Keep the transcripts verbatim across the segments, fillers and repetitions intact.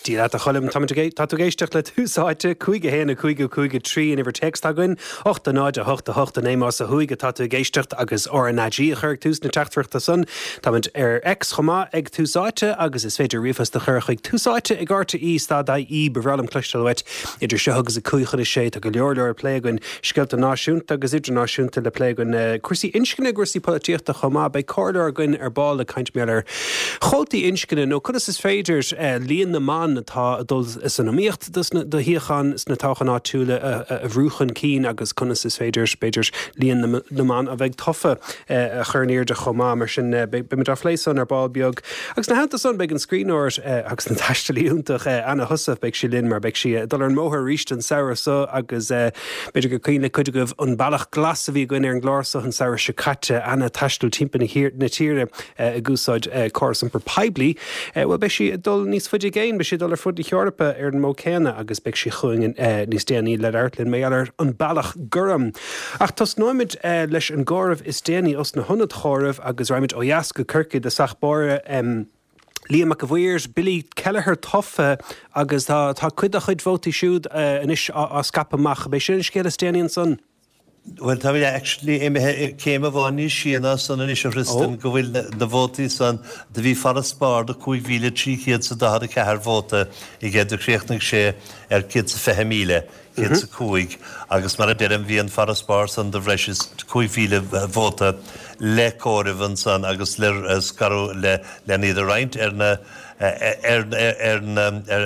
Dia leat a Choilm tá tú ag éisteacht le Tús Áite cúig a haon a cúig a cúig a trí an uimhir téacs atá againn, ocht a náid a hocht a hocht a naoi más ó thuaidh atá tú ag éisteacht agus RnaG a chur ag tús na teachtaireachta san. Táimid ar X chomh maith ag Tús Áite agus is féidir ríomhphost a chur chuig túsáite ag RTE stad IE ba bhreá liom cloisteáil uait idir seo agus a cúig chun a sé tá go leor leor le plé againn scéalta náisiúnta agus idirnáisiúnta le plé againn eh, cúrsaí inscne cúrsaí polaitíochta chomh maith beidh comhairleoir againn ar ball ag caint mar ar chuótaí inscne nó conas is féidir eh, líon na mban atá ag dul san iomaíocht do shuíocháin sna toghcháin áitiúla a bhrú chun cinn agus conas is féidir b'fhéidir líon na mban a bheidh tofa a chur in airde chomh maith mar sin beimid á phlé san ar ball beag. Agus ina theannta san beidh an scríbhneoir agus an taistealaí iontach Anna Heussaff beidh sí linn mar beidh sí dul ar an mbóthar arís an samhradh seo agus b'fhéidir gur cuimhin le cuid agaibh an bealach glas a bhí againn ar an gclár seo an samhradh seo caite Anna ag taisteal timpeall na tíre ag úsáid córas iompar poiblí. Well beidh sí dul níos faide i gcéin, beidh sí dul ar fud na hEorpa ar an modh céanna agus beidh sí chugainn níos déanaí le labhairt linn mar gheall ar an bealach gorm. Ach tosnóimid leis an gcomhaireamh is déanaí os na hionaid chomhairimh agus raghaimid ó dheas go Corcaigh i dtosach báire. Um, Liam Mac a' Bhaoir, Billy Kelleher tofa agus tá tá cuid dá chuid vótaí siúd uh, anois á, á scaipeadh amach, B'é sin an scéal is déanaí ansan. Well tá actually imithe céim amháin níos sia ná san anois a Thristan go bhfuil na vótaí san do bhí farasbarr de cúig mhíle trí chéad is daichead a ceathair vóta aige do chríochnaigh sé ar céad is fiche míle céad is a cúig agus mar a deirim bhí an farasbarr san de bhreis is cúig mhíle vóta le comhaireamh ansan agus le scaradh le le iad a roinnt ar na ar ar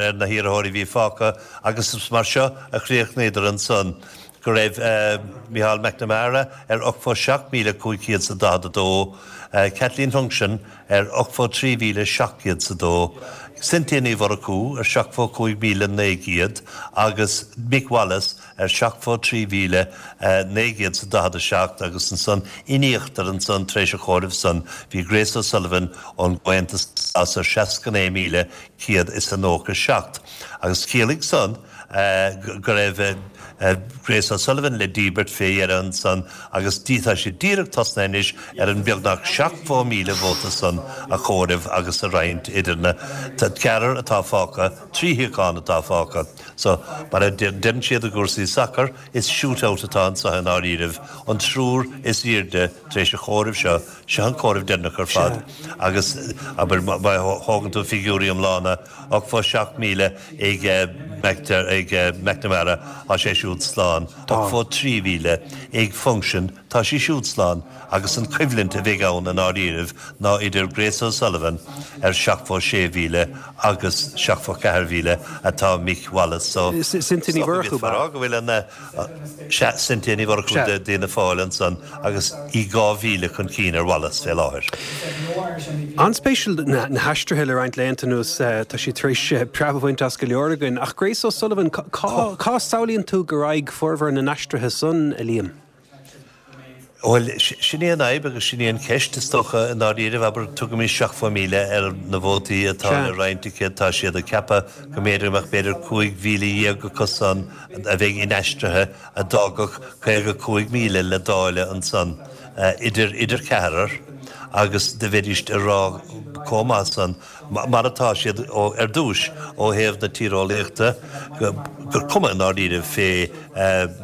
ar na hiarrthóirí bhí fágtha agus mar seo a chríochnaíodar ansan. go raibh uh, Micheál McNamara ar ochtó seacht míle cúig chéad is daichead a dó, uh, Kathleen Funchion ar ochtó trí mhíle seacht gcéad is a dó, Cynthia Ní Mhurchú ar seachtó cúig míle naoi gcéad agus Mick Wallace ar seachtó trí mhíle uh, naoi gcéad is daichead a seacht agus ansan in íochtar ansan tar éis an chomhairimh san bhí Grace O'Sullivan ón gComhaontas ar seasca naoi míle céad is a nócha seacht. Agus chiallaigh san uh, go raibh uh, Grace O'Sullivan le díbirt fé dheireadh ansan agus tá sé díreach tosnaithe anois ar an beagnach seachtó míle vóta san a chomhaireamh agus a roinnt idir na ceathrar atá fágtha trí shuíochán atá fágtha. So mar a deireann siad i gcúrsaí sacair is shootout atá anseo i ndáiríribh an triúr is airde tar éis an chomhairimh seo seo an comhaireamh deireanach ar fad agus aber má thógann tú figiúirí iomlána ochtó seacht míle ag ag McNamara tá sé siúd slán ochtó trí mhíle ag Funchion tá sí siúd slán agus an choimhlint a bheidh ann i ndáiríribh ná idir Grace O'Sullivan ar seachtó sé mhíle agus seachtó ceathair mhíle atá Mick Wallace so Cynthia Ní go bhfuil an Cynthia Ní Mhurchú d'Fhianna Fáil ansan agus í dhá mhíle chun cinn ar Wallace fé láthair. An-spéisiúil na haistrithe le roinnt laethanta anuas tá sí tar éis preab a bhaint as go leor againn ach Grace O'Sullivan cá samhlaíonn tú go raghaidh formhór na n-aistrithe san a Liam? Well sin é an fhadhb agus sin é an cheist is dócha i ndáiríribh abair tugaimis seachtó míle ar na vótaí atá le roinnt aici tá siad ag ceapadh go mb'fhéidir mbeadh b'fhéidir cúig mhíle dhéag acu san a bheidh inaistrithe a d'fhágfadh caoga cúig míle le dáileadh ansan idir idir ceathrar agus do bheidís ag rá chomh maith san mar atá siad ar dtús ó thaobh na tíreolaíochta gur cuma i ndáiríribh fé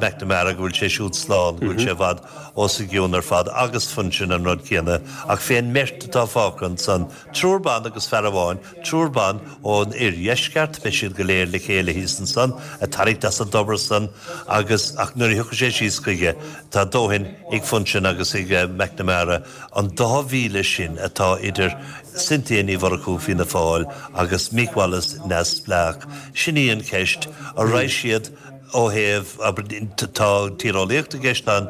McNamara go bhfuil sé siúd slán go bhfuil sé i bhfad os a gcionn ar fad agus Funchion an rud céanna ach fén mbeirt atá fágtha ansan triúr ban agus fear amháin triúr ban ón oirdheisceart beidh siad go léir le chéile thíos ansan ag tarraingt as an dtobar san agus ach nuair a thiocfaidh sé síos chuige tá dóthain ag Funchion agus ag McNamara an dá mhíle sin atá idir Cynthia Ní Mhurchú Fianna Fáil agus Mick Wallace neamhspleách. Sin í an cheist an raghaidh siad ó thaobh tá tíreolaíocht i gceist an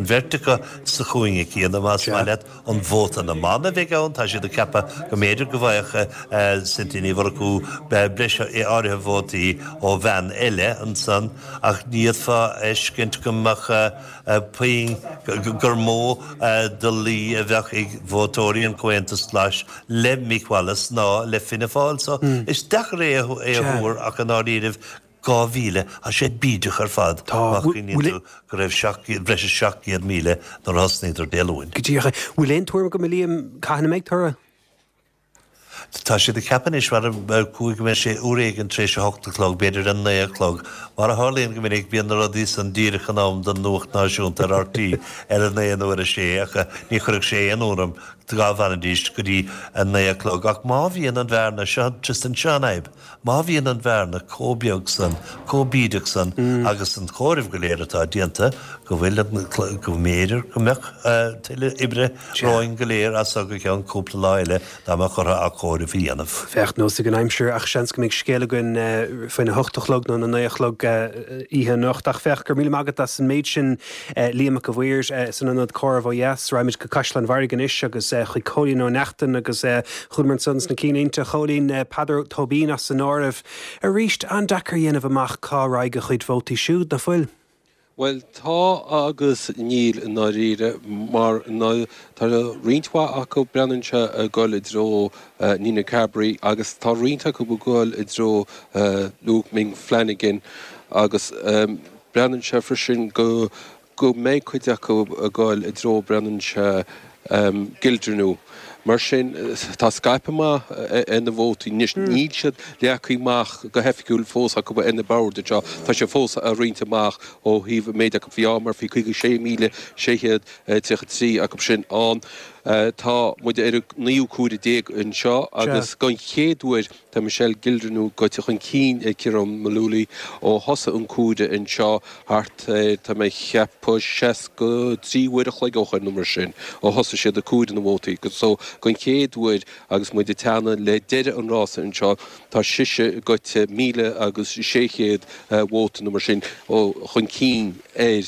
bheirt acu sa chúinne céanna más maith leat an vóta na mban a bheidh ann tá siad ag ceapadh go mb'fhéidir go bhfaigheadh Cynthia Ní Mhurchú breis áirithe vótaí ó bhean eile ansan ach ní fhéadfá a fheiscint go mbeadh puinn gur mó de luí a bheadh ag vótóirí an Chomhaontais Ghlais le Mick Wallace ná le Fianna Fáil so is deacair é a thuar ach i ndáiríribh dhá mhíle tá sé bídeach ar fad má chuimhníonn tú go raibh breis is seacht gcéad míle nuair a thosnaíodar Dé Luain. Go díreach. Bhfuil aon tuairim agat a Liam cathain a mbeidh toradh? Tá siad ag ceapadh anois mar ar cúig go mbeidh sé uair éigin tar éis a hocht a chlog, b'fhéidir a naoi a chlog. Mar a tharlaíonn go minic, bíonn na rudaí san díreach in am don nuacht náisiúnta ar RTÉ ar a naoi nó ar a sé ach ní chuirfeadh sé aon ionadh orm dá bhfanfaidís go dtí a naoi a chlog. Ach má bhíonn an bhearna, seo Tristan, seo an fhadhb, má bhíonn an bhearna chomh beag san, chomh bídeach san agus an comhaireamh go léir atá déanta, go bhfuil an, go mb'fhéidir go mbeadh tuilleadh oibre romhainn go léir as so go ceann cúpla lá eile dá mbeadh orthu athchomhaireamh a dhéanamh. Féach, nós ag an aimsir ach seans go mbeidh scéal againn faoina hocht a chlog nó na naoi a chlog oíche anocht. Ach féach, go raibh míle maith agat as an méid sin Liam Mac a' Mhaoir san ionad comhairimh ó dheas. Raghaimid go Caisleán Bharraigh anois agus chuig Cóilín Ó Neachtain agus chualamar ansan sna cinnlínte a Chóilín, Peadar Tóibín as san áireamh. Arís, an-deacair a dhéanamh amach cá raghaidh a chuid vótaí siúd, nach bhfuil? Bhuel, tá agus níl i ndáiríre, mar tá roinnt mhaith acu, breathnaíonn sé, ag dul i dtreo Nina Carberry agus tá roinnt acu ag dul i dtreo Luke Ming Flanagan agus breathnaíonn sé freisin go go mbeidh cuid acu ag dul i dtreo, breathnaíonn sé, Gildernew. Mar sin, tá scaipeadh maith ar na vótaí. Anois, níl siad leagtha amach go hoifigiúil fós acu ar na boird anseo. Tá sé fós á roinnt amach ó thaobh an méid acu. Bhí mar bhí caoga sé míle sé chéad tríocha trí acu sin ann. Tá muid ar an naoú comhaireamh déag anseo agus don chéad uair tá Michelle Gildernew gaibhte chun cinn ar Ciarán Mullooly ó thosaigh an comhaireamh anseo thart ar, tá mé ag ceapadh, seasca trí uair a chloig ó shoin nó mar sin, ó thosaigh siad ag comhaireamh na vótaí. So, don chéad uair agus muid ag teannadh le deireadh an rása anseo, tá sise gaibhte míle agus sé chéad vóta nó mar sin chun cinn ar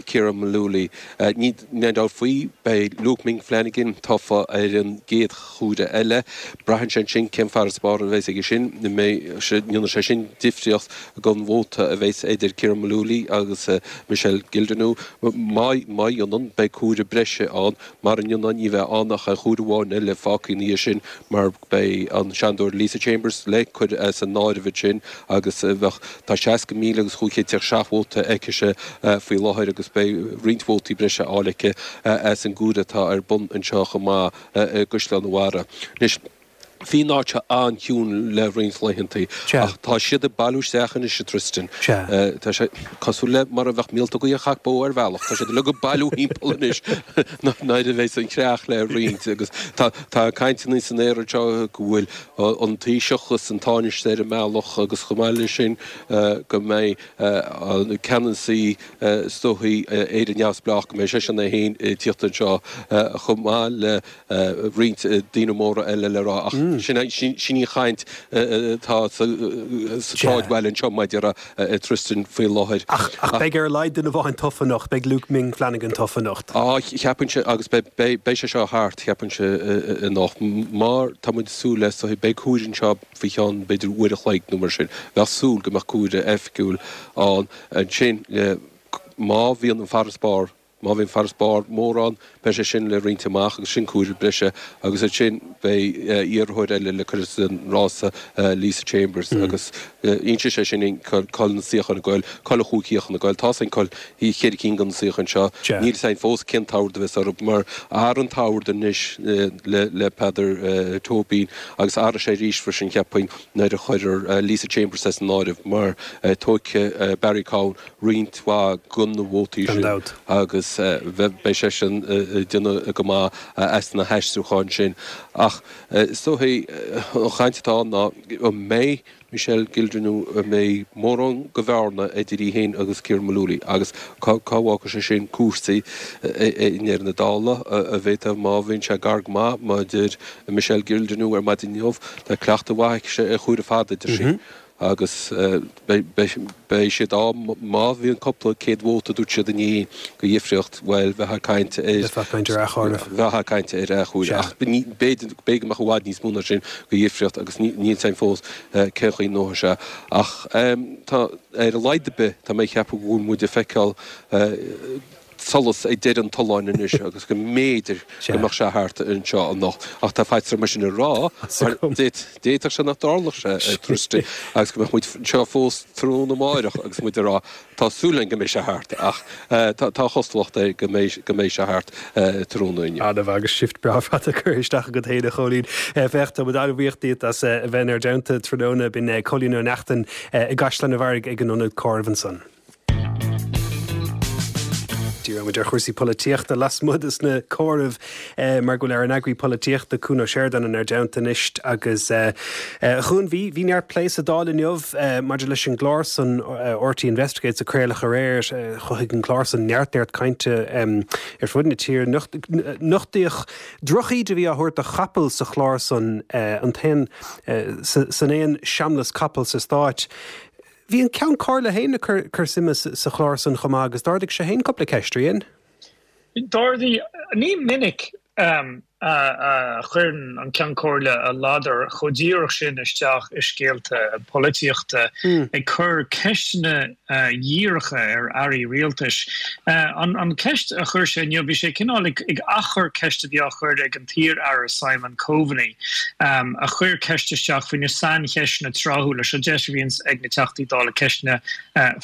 Ciarán Mullooly. Níl aon dabht faoi, beidh Luke Ming Flanagan tofa ar an gcéad chomhaireamh eile. Braitheann sé ansin cén farasbarr a bheas aige sin. An mbeidh sé, ndéanfaidh sé sin difríocht don vóta a bheas idir Ciarán Mullooly agus Michelle Gildernew. Má dhéanann, beidh comhaireamh breise ann. Mara ndéanann, ní bheidh ann ach comhaireamh amháin eile fágtha ina dhiaidh sin mar beidh an Seanadóir Lisa Chambers le cur as an áireamh ansin agus bheadh, tá seasca míle agus chúig chéad tríocha seacht vóta aicise faoi láthair agus beidh roinnt vótaí breise á fháil aici as an gcomhaireamh atá ar bun anseo chomh maith i gCaisleán an Bharraigh. Anois, bhí an áit seo an-chiúin le roinnt laethanta ach tá siad ag bailiú isteach anois, a Tristan. Tá sé cosúil le mar a bheadh míoltógaí ag chac bó ar bhealach. Tá siad uilig ag bailiú thimpeall anois nuair a bheas an chreach le roinnt agus tá tá cainteanna san aer anseo go bhfuil an Taoiseach agus an Tánaiste ar an mbealach agus chomh maith leis sin go mbeidh an ceannasaí is dóichí Éire Neamhspleách go mbeidh seisean é féin ag tíocht anseo chomh maith le roinnt daoine móra eile le rá ach sin sin í an chaint atá sa tsráidbhaile anseo mar a déarfá a Tristan faoi láthair. Ach beidh ar a laghad duine amháin tofa anocht, beidh Luke Ming Flanagan tofa anocht. Á, cheapfainnse agus beidh sé seo thart, cheapfainnse anocht mar tá muid ag súil le, beidh comhaireamh anseo faoi cheann b'fhéidir uair a chloig nó mar sin. Bheadh súil go mbeadh comhaireamh oifigiúil ann ansin má bhíonn an farasbarr, má bhíonn farasbarr mór ann, beidh sé sin le roinnt amach agus sin comhaireamh breise agus ansin beidh iarrthóir eile le cur as an rása, Lisa Chambers, agus inseoidh sé sin cá bhfuil na suíocháin ag goil, cá bhfuil an chúig shuíochán ag goil. Tá 's againn cá bhfuil cheithre cinn de na suíocháin seo. Níl 's againn fós cén t-ord a bheas orthu mar athraigh an t-ord anois le Peadar Tóibín agus athróidh sé arís freisin cheapfainn nuair a chuirfear Lisa Chambers as an áireamh mar tógfaidh Barry Cowen roinnt mhaith de na vótaí sin agus beidh seisean ag déanamh go maith as na haistriúcháin sin. Ach is dóichí an chaint atá ann ná an mbeidh Michelle Gildernew an mbeidh mórán de bhearna idir í féin agus Ciarán Mullooly agus cá bhfágfaidh sé sin cúrsaí i ndeireadh na dála? An bhféadfadh, má bhíonn sé gar go maith, mar a deir Michelle Gildernew ar maidin inniu, tá cleachtadh mhaith aici ar chomhaireamh fada, a deir sí. Agus beidh siad á, má bhíonn cúpla céad vóta, dúirt siad inné, de dhifríocht, bhuel, bheifeá ag caint ar. Bheifeá ag caint ar athchomhaireamh. Bheifeá ag caint ar athchomhaireamh. Ach b'fhéidir, b'fhéidir go mbeadh i bhfad níos mó ná sin de dhifríocht agus níl 's againn fós cén chaoi a ngnóthóidh sé. Ach tá, ar a laghad ar bith, tá mé ag ceapadh go bhfuil muid ag feiceáil, solas ag deireadh an tolláin anois agus go mb'fhéidir go mbeadh sé thart anseo anocht. Ach tá faitíos orm é sin a rá mar d'fhéadfadh sé nach dtarlódh sé, a Christy, agus go mbeadh muid anseo fós tráthnóna amáireach agus muid ag rá tá súil againn go mbeidh sé thart ach tá cosúlacht air go mbeidh go mbeidh sé thart tráthnóna inniu. Ana-mhaith agus shift breá fada curtha isteach agat féin a Chóilín. Féach, tá muid an-bhuíoch díot as a bheith inár dteannta tráthnóna. B'in Cóilín Ó Neachtain i gCaisleán an Bharraigh ag an Ionad Comhairimh ansan. Díreoidh muid ar chúrsaí polaitíochta lasmuigh des na comhairimh mar go bhfuil ár n-eagraí polaitíochta, Cuan Ó Seireadáin inár dteannta anois agus a Chuain, bhí bhí neart plé sa Dáil inniu maidir leis an gclár san RTÉ Investigates a craoladh aréir. Chothaigh an clár san neart neart cainte ar fud na tíre. Nochtaíodh drochíde a bhí á thabhairt do chapaill sa chlár san, an t-aon san aon seamlas capall sa Stát. Bhí an Ceann Comhairle féin ag cur suime sa chlár san chomh maith agus d'ardaigh sé féin cúpla ceist, ar dhein? D'ardaigh. Ní minic a chuireann an Ceann Comhairle a ladar chomh díreach sin isteach i scéalta polaitíochta, ag cur ceisteanna dhíreacha ar airí rialtais. An cheist a chuir sé inniu, bhí sé cineál ag athchur ceist a bhí á chur ag an t-iar-aire Simon Coveney, a chuir ceist isteach faoi na saincheisteanna tráthúla. Seo deis a bhíonns ag na Teachtaí Dála ceisteanna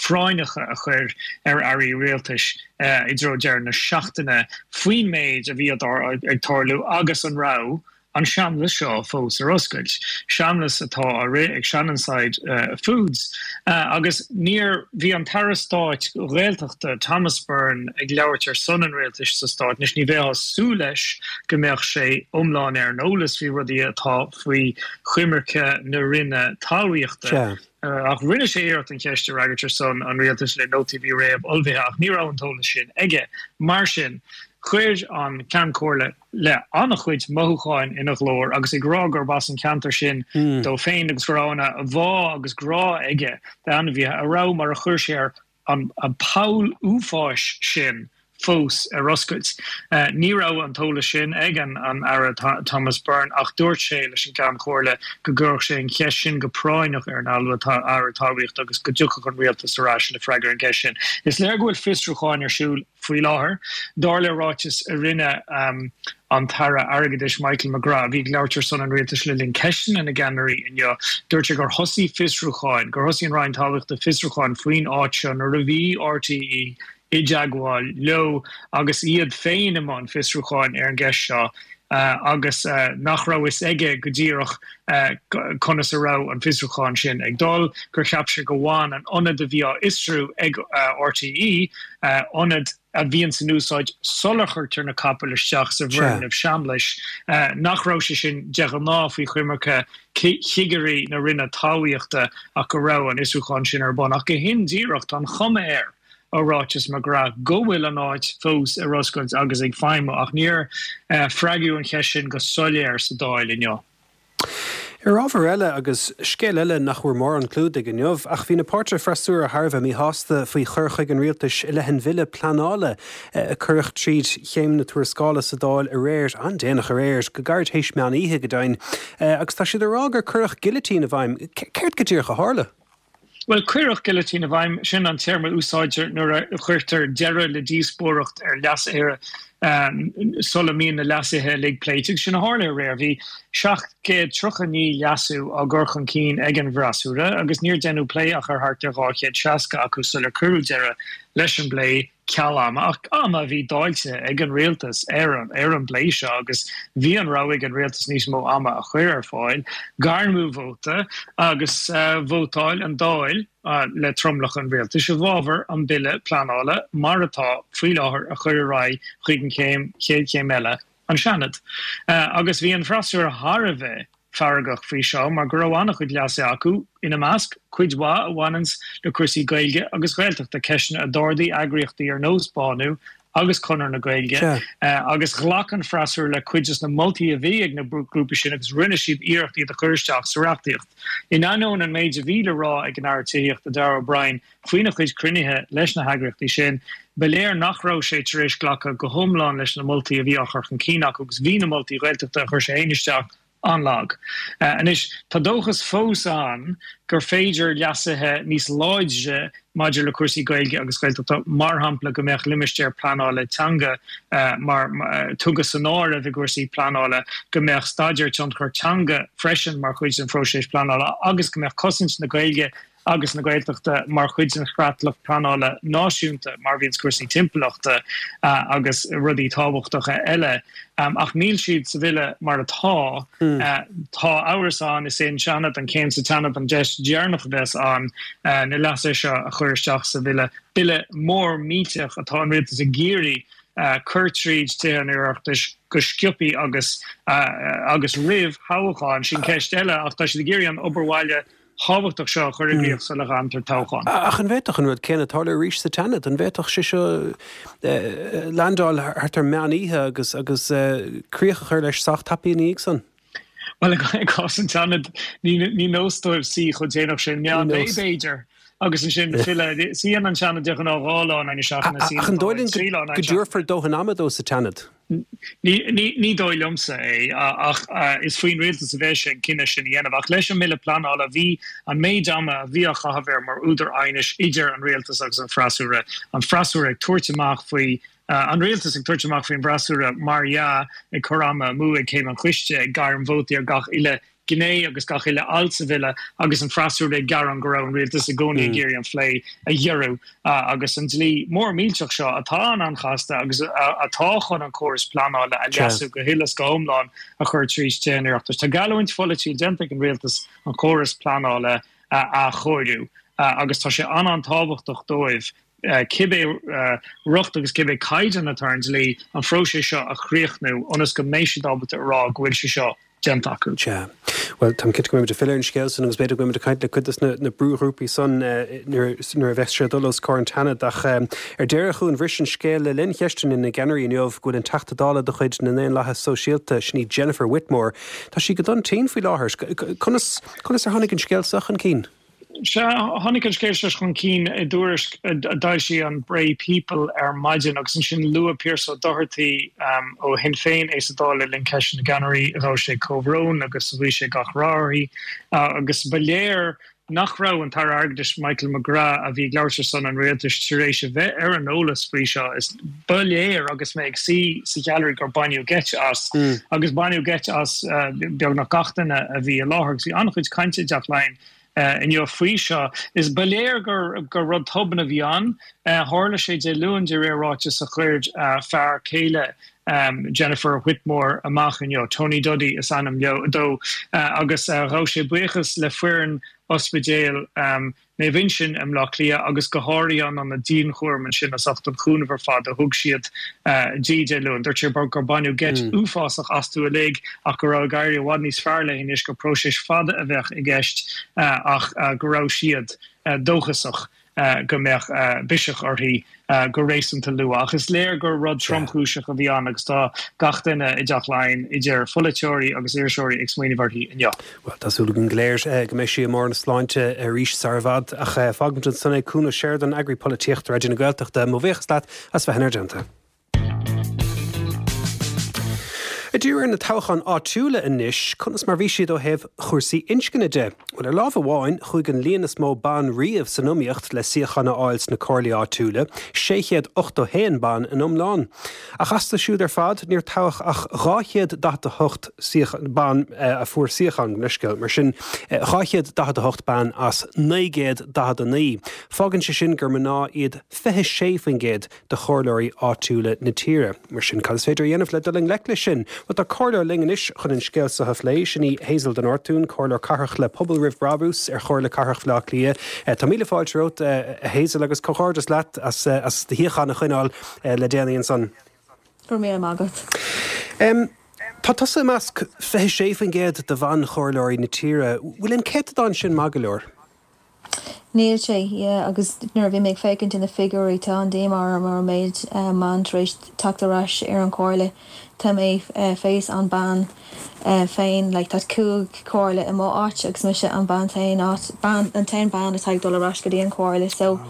phráinneacha a chur ar airí rialtais i dtreo deireadh na seachtaine faoin méid a bhí ag tarlú agus an raibh an seamlas seo fós ar oscailt, seamlas atá á rith ag Shannonside Foods. Agus níor, bhí an tAire Stáit Gaeltachta Thomas Byrne ag labhairt ar son an rialtais sa stát. Anois ní bheifeá ag súil leis go mbeadh sé iomlán ar an eolas faoi rudaí atá faoi choimirce na Roinne Talmhaíochta. Ach rinne sé iarracht an cheist a fhreagairt ar son an rialtais le nótaí a bhí réamh-ullmhaithe ach ní raibh an t-eolas sin aige. Mar sin, chuir an Ceann Comhairle le an-chuid mothúcháin ina ghlór agus ag rá gurb as an cheantar sin dó féin agus go raibh ana-bhá agus grá aige d'ainmhithe a raibh, mar a chuir sé air, an poll uafáis sin fós ar oscailt. Ní raibh an t-eolas sin ag an Aire Thomas Byrne ach dúirt sé leis an gCeann Comhairle go gcuirfeadh sé an cheist sin go práinneach ar an Aire Talmhaíochta agus go dtiocfadh an Rialtas ar ais le freagra ar an gceist sin. Is léir go bhfuil fiosrúcháin ar siúl faoi láthair. Dar le ráiteas a rinne an tAire Airgeadais Michael McGrath, a bhí ag labhairt ar son an Rialtais le linn Ceisteanna na gCeannairí inniu, dúirt sé gur thosaigh fiosrúcháin, gur thosaigh an Roinn Talmhaíochta fiosrúcháin faoin áit seo nuair a bhí RTÉ i dteagmháil leo agus iad féin i mbun fiosrúcháin ar an gceist seo agus nach raibh fhios aige go díreach conas a raibh an fiosrúchán sin ag dul, gur cheap sé gur bhain an ionad a bhí á fhiosrú ag RTÉ, ionad a bhíonns in úsáid sular chuirtear na capaill isteach sa bhfoirgneamh seamlais, nach raibh sé sin de ghnáth faoi choimirce chigirí na Roinne Talmhaíochta ach go raibh an fiosrúchán sin ar bun. Ach go hindíreach, tá an chuma air ó ráiteas McGrath go bhfuil an áit fós ar oscailt agus ag feidhmiú ach níor freagraíodh an cheist sin go soiléir sa Dáil inniu. Ar ábhar eile, agus scéal eile nach bhfuair mórán clúdaigh inniu, ach bhí na páirtithe freasúra thar a bheith míshásta faoi chur chuige an rialtais i leith an bhille pleanála a cuireadh tríd chéim na tuarascála sa Dáil aréir, an-déanach aréir, go gairid théis meán oíche go deimhin, agus tá siad ag rá gur cuireadh gilitín i bhfeidhm. Céard go díreach a tharla? Bhuel, cuireadh gilitín i bhfeidhm, sin an téarma a úsáidtear nuair a chuirtear deireadh le díospóireacht ar leasuithe sula mbíonn na leasuithe uilig pléite, agus sin a tharla aréir. Bhí seacht gcéad tríocha naoi leasú á gcur chun cinn ag an bhfreasúra agus níor deineadh plé ach ar thart ar dhá chéad seasca acu sular cuireadh deireadh leis an bplé. ceal ama, ach ama a bhí dáilte ag an rialtas ar ar an bplé seo agus bhí an rogha ag an rialtas níos mó ama a chur ar fáil, gairmeadh vóta agus vótáil an Dáil le tromlach an rialtais i bhfabhar an bille pleanála mar atá faoi láthair a chur ar aghaidh chuig an chéim chéad chéim eile. an Seanad. Agus bhí an freasúra thar a bheith feargach faoi seo mar go raibh an-chuid leasuithe acu, ina measc, cuid mhaith a bhaineanns le cúrsaí Gaeilge agus Gaeltachta, ceisteanna a d'ardaigh eagraíochtaí ar nós Bánú agus Conradh na Gaeilge, agus ghlac an freasúra le cuid des na moltaí a bhí ag na grúpaí sin agus rinne siad iarracht iad a chur isteach sa reachtaíocht. In ainneoin an méid a bhí le rá ag an Aire Tithíochta Darragh O'Brien Faoina chuid cruinnithe leis na heagraíochtaí sin, ba léir nach raibh sé tar éis glacadh go hiomlán leis na moltaí a bhí á chur chun cinn acu agus bhí na moltaí Gaeltachta a chuir sé féin isteach an-lag. Anois, tá dóchas fós ann gur féidir leasuithe níos láidre maidir le cúrsaí Gaeilge agus Gaeltachta, mar shampla go mbeadh limistéir pleanála teanga mar tugtha san áireamh i gcúrsaí pleanála, go mbeadh staidéar tionchar teanga freisin mar chuid den phróiseas pleanála agus go mbeadh cosaint na Gaeilge agus na Gaeltachta mar chuid den chreatlach pleanála náisiúnta, mar a bhíonns cúrsaí timpeallachta agus rudaí tábhachtacha eile. Ach níl siad sa bhille mar atá. Tá amhras ann, is é an Seanad, an chéim sa tSeanad an deis dheireanach a bheas ann na leasuithe seo a chur isteach sa bhille. Bille mór millteach atá an rialtas ag iarraidh cur tríd Tithe an Oireachtais go sciobthaí agus agus roimh thoghchán. Sin ceist eile ach tá siad ag iarraidh an obair bhaile thábhachtach seo a chur i gcrích sula gcaithfear toghchán. Ach an bhféadfadh an rud céanna tarlú arís sa tSeanad? An bhféadfadh sé seo landáil thart ar meán oíche agus agus críoch a chur leis sách tapaidh ina dhiaidh san? Bhuel, i gcás an tSeanaid, ní nós dóibh suí chomh déanach sin. Meán lae, b'fhéidir, agus ansin filleadh. Suíonn an Seanad de ghnáth dhá lá in aghaidh na seachtaine, Ach an dóigh linn go dtabharfar dóthain ama dó sa tSeanad? Ní dóigh liomsa é, ach is faoin rialtas a bheidh sé an cinneadh sin a dhéanamh. Ach leis an mBille Pleanála, bhí an méid ama a bhí á chaitheamh air mar údar aighnis idir an rialtas agus an freasúra, an freasúra ag tabhairt amach faoi, an rialtas ag tabhairt amach faoin bhfreasúra, mar dhea, ag cur ama amú ag céim an choiste, ag gairm vótaí ar gach uile gné agus gach uile alt sa bhille agus an freasúra ag gearán go raibh an rialtas i gcónaí ag iarraidh an phlé a ghiorrú agus an dlí mór millteach seo atá an-an-chasta agus atá chun an córas pleanála a leasú go huile is go hiomlán a chur tríd Tithe an Oireachtais. Tá geallúint pholaitiúil déanta ag an rialtas an córas pleanála a athchóiriú agus tá sé an-an-tábhachtach dóibh cibé riocht agus cibé caighdeán atá ar an dlí, an phróiseas seo a chríochnú ionas go mbeidh siad ábalta a rá go bhfuil sé seo déanta acu. Sea. Bhuel, táim cinnte go mbeimid ag filleadh ar an scéal san agus b'fhéidir go mbeimid ag caint le cuid de na brúghrúpaí san nuair a bheas sé ag dul os comhair an tSeanaid. Ach ar deireadh, a Chuain, bhris an scéal le linn cheisteanna na gceannairí inniu go bhfuil an Teachta Dála de chuid na nDaonlathaithe Sóisialta, sin í Jennifer Whitmore, tá sí go dona tinn faoi láthair. Conas conas ar tháinig an scéal seo chun cinn? Sea, tháinig an scéal seo chun cinn i dtuairisc a d'fhoilsigh an Bray People ar maidin agus ansin luaigh Pearse Ó Dochartaigh ó Shinn Féin é sa Dáil le linn Ceisteanna na gCeannairí. Ghabh sé comhbhrón agus ghuigh sé gach rath uirthi agus ba léir nach raibh an tAire Airgeadais Michael McGrath, a bhí ag labhairt ar son an rialtais, tar éis a bheith ar an eolas faoi seo. Is ba léir agus mé ag suí sa ghailearaí gur baineadh geit as agus baineadh geit as beagnach gach duine a bhí i láthair agus bhí an-chuid cainte i dTeach Laighean inniu faoi seo. Is ba léir gur gur rud tobann a bhí ann. Tharla sé Dé Luain de réir ráiteas a chuir fear céile Jennifer Whitmore amach inniu, Tony Duddy is ainm dó, agus ghabh sé buíochas le foireann Ospidéal Naomh Uinseann i mBleá Cliath agus go háirithe an ionad dianchúraim ansin as ucht an chúnamh ar fad a thug siad di Dé Luain. Dúirt sé gur baineadh geit uafásach astu uilig ach go raibh ag éirí i bhfad níos fearr léi anois, gur próiseas fada a bheadh i gceist ach go raibh siad dóchasach go mbeadh biseach uirthi go réasúnta luath. Ach is léir gur rud tromchúiseach a bhí ann agus tá gach duine i dTeach Laighean, idir pholaiteoirí agus iriseoirí, ag smaoineamh uirthi inniu. Bhuel, tá súil againn go léir go mbeidh sí i mbarr na sláinte arís sar i bhfad. Ach fágfaimid ansan é. Cuan Ó Seireadáin, Eagraí Polaitíochta Raidió na Gaeltachta, mo bhuíochas leat as bheith inár dteannta. Ag díriú ar na toghcháin áitiúla anois, conas mar bhí siad ó thaobh chúrsaí inscne de? Bhuel, ar lámh amháin, chuaigh an líon is mó ban riamh san iomaíocht le suíochán a fháil sna comhairlí áitiúla, sé chéad ochtó haon ban in iomlán. Ach astu siúd ar fad, níor toghadh ach dhá chéad daichead a hocht ban a fuair suíochán, leithscéal, mar sin, dhá chéad daichead a hocht bean as naoi gcéad daichead a naoi. Fágann sé sin gur mná iad fiche sé faoin gcéad de chomhairleoirí áitiúla na tíre. Mar sin, cad is féidir a dhéanamh le dul i ngleic leis sin? Bhuel, tá comhairleoir linn anois chun an scéal seo a phlé. Sin í Hazel de Nortúin, Comhairleoir Cathrach le Pobal Roimh Brabús ar Chomhairle Cathrach Bhaile Átha Cliath. Tá míle fáilte romhat, a Hazel, agus comhghairdeas leat as as do shuíochán a choinneáil le déanaí ansan. Go raibh míle maith agat. Tá tusa i measc fiche sé faoin gcéad de bhan-chomhairleoirí na tíre. Bhfuil an céatadán sin maith go leor? Níl sé, yeah, agus nuair a bhí mé ag féachaint ar na figiúirí tá an díomá orm ar an méid mban tar éis teacht ar ais ar an chomhairle. Tá mé fós an bean féin, like tá cúig comhairle i mo áit agus mise an bean t-aon áit, bean, an t-aon bean atá ag dul ar ais go dtí an chomhairle so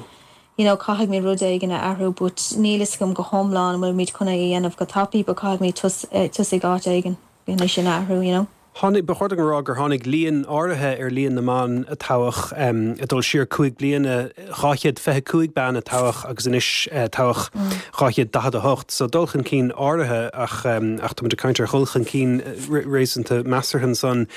you know caithfidh mé rud éigin a athrú but níl fhios agam go hiomlán an bhfuil muid chun é a dhéanamh go tapaidh but caithfidh mé tosaigh áit éigin chun é sin a athrú, you know. Tháinig, ba chóir dom a rá gur tháinig líon áirithe ar líon na mban a toghadh, ag dul siar cúig bliana, dhá chéad fiche cúig bean a toghadh agus anois toghadh dhá chéad daichead a hocht. So dul chun cinn áirithe ach ach táimid ag caint ar dhul chun cinn réasúnta measartha ansan.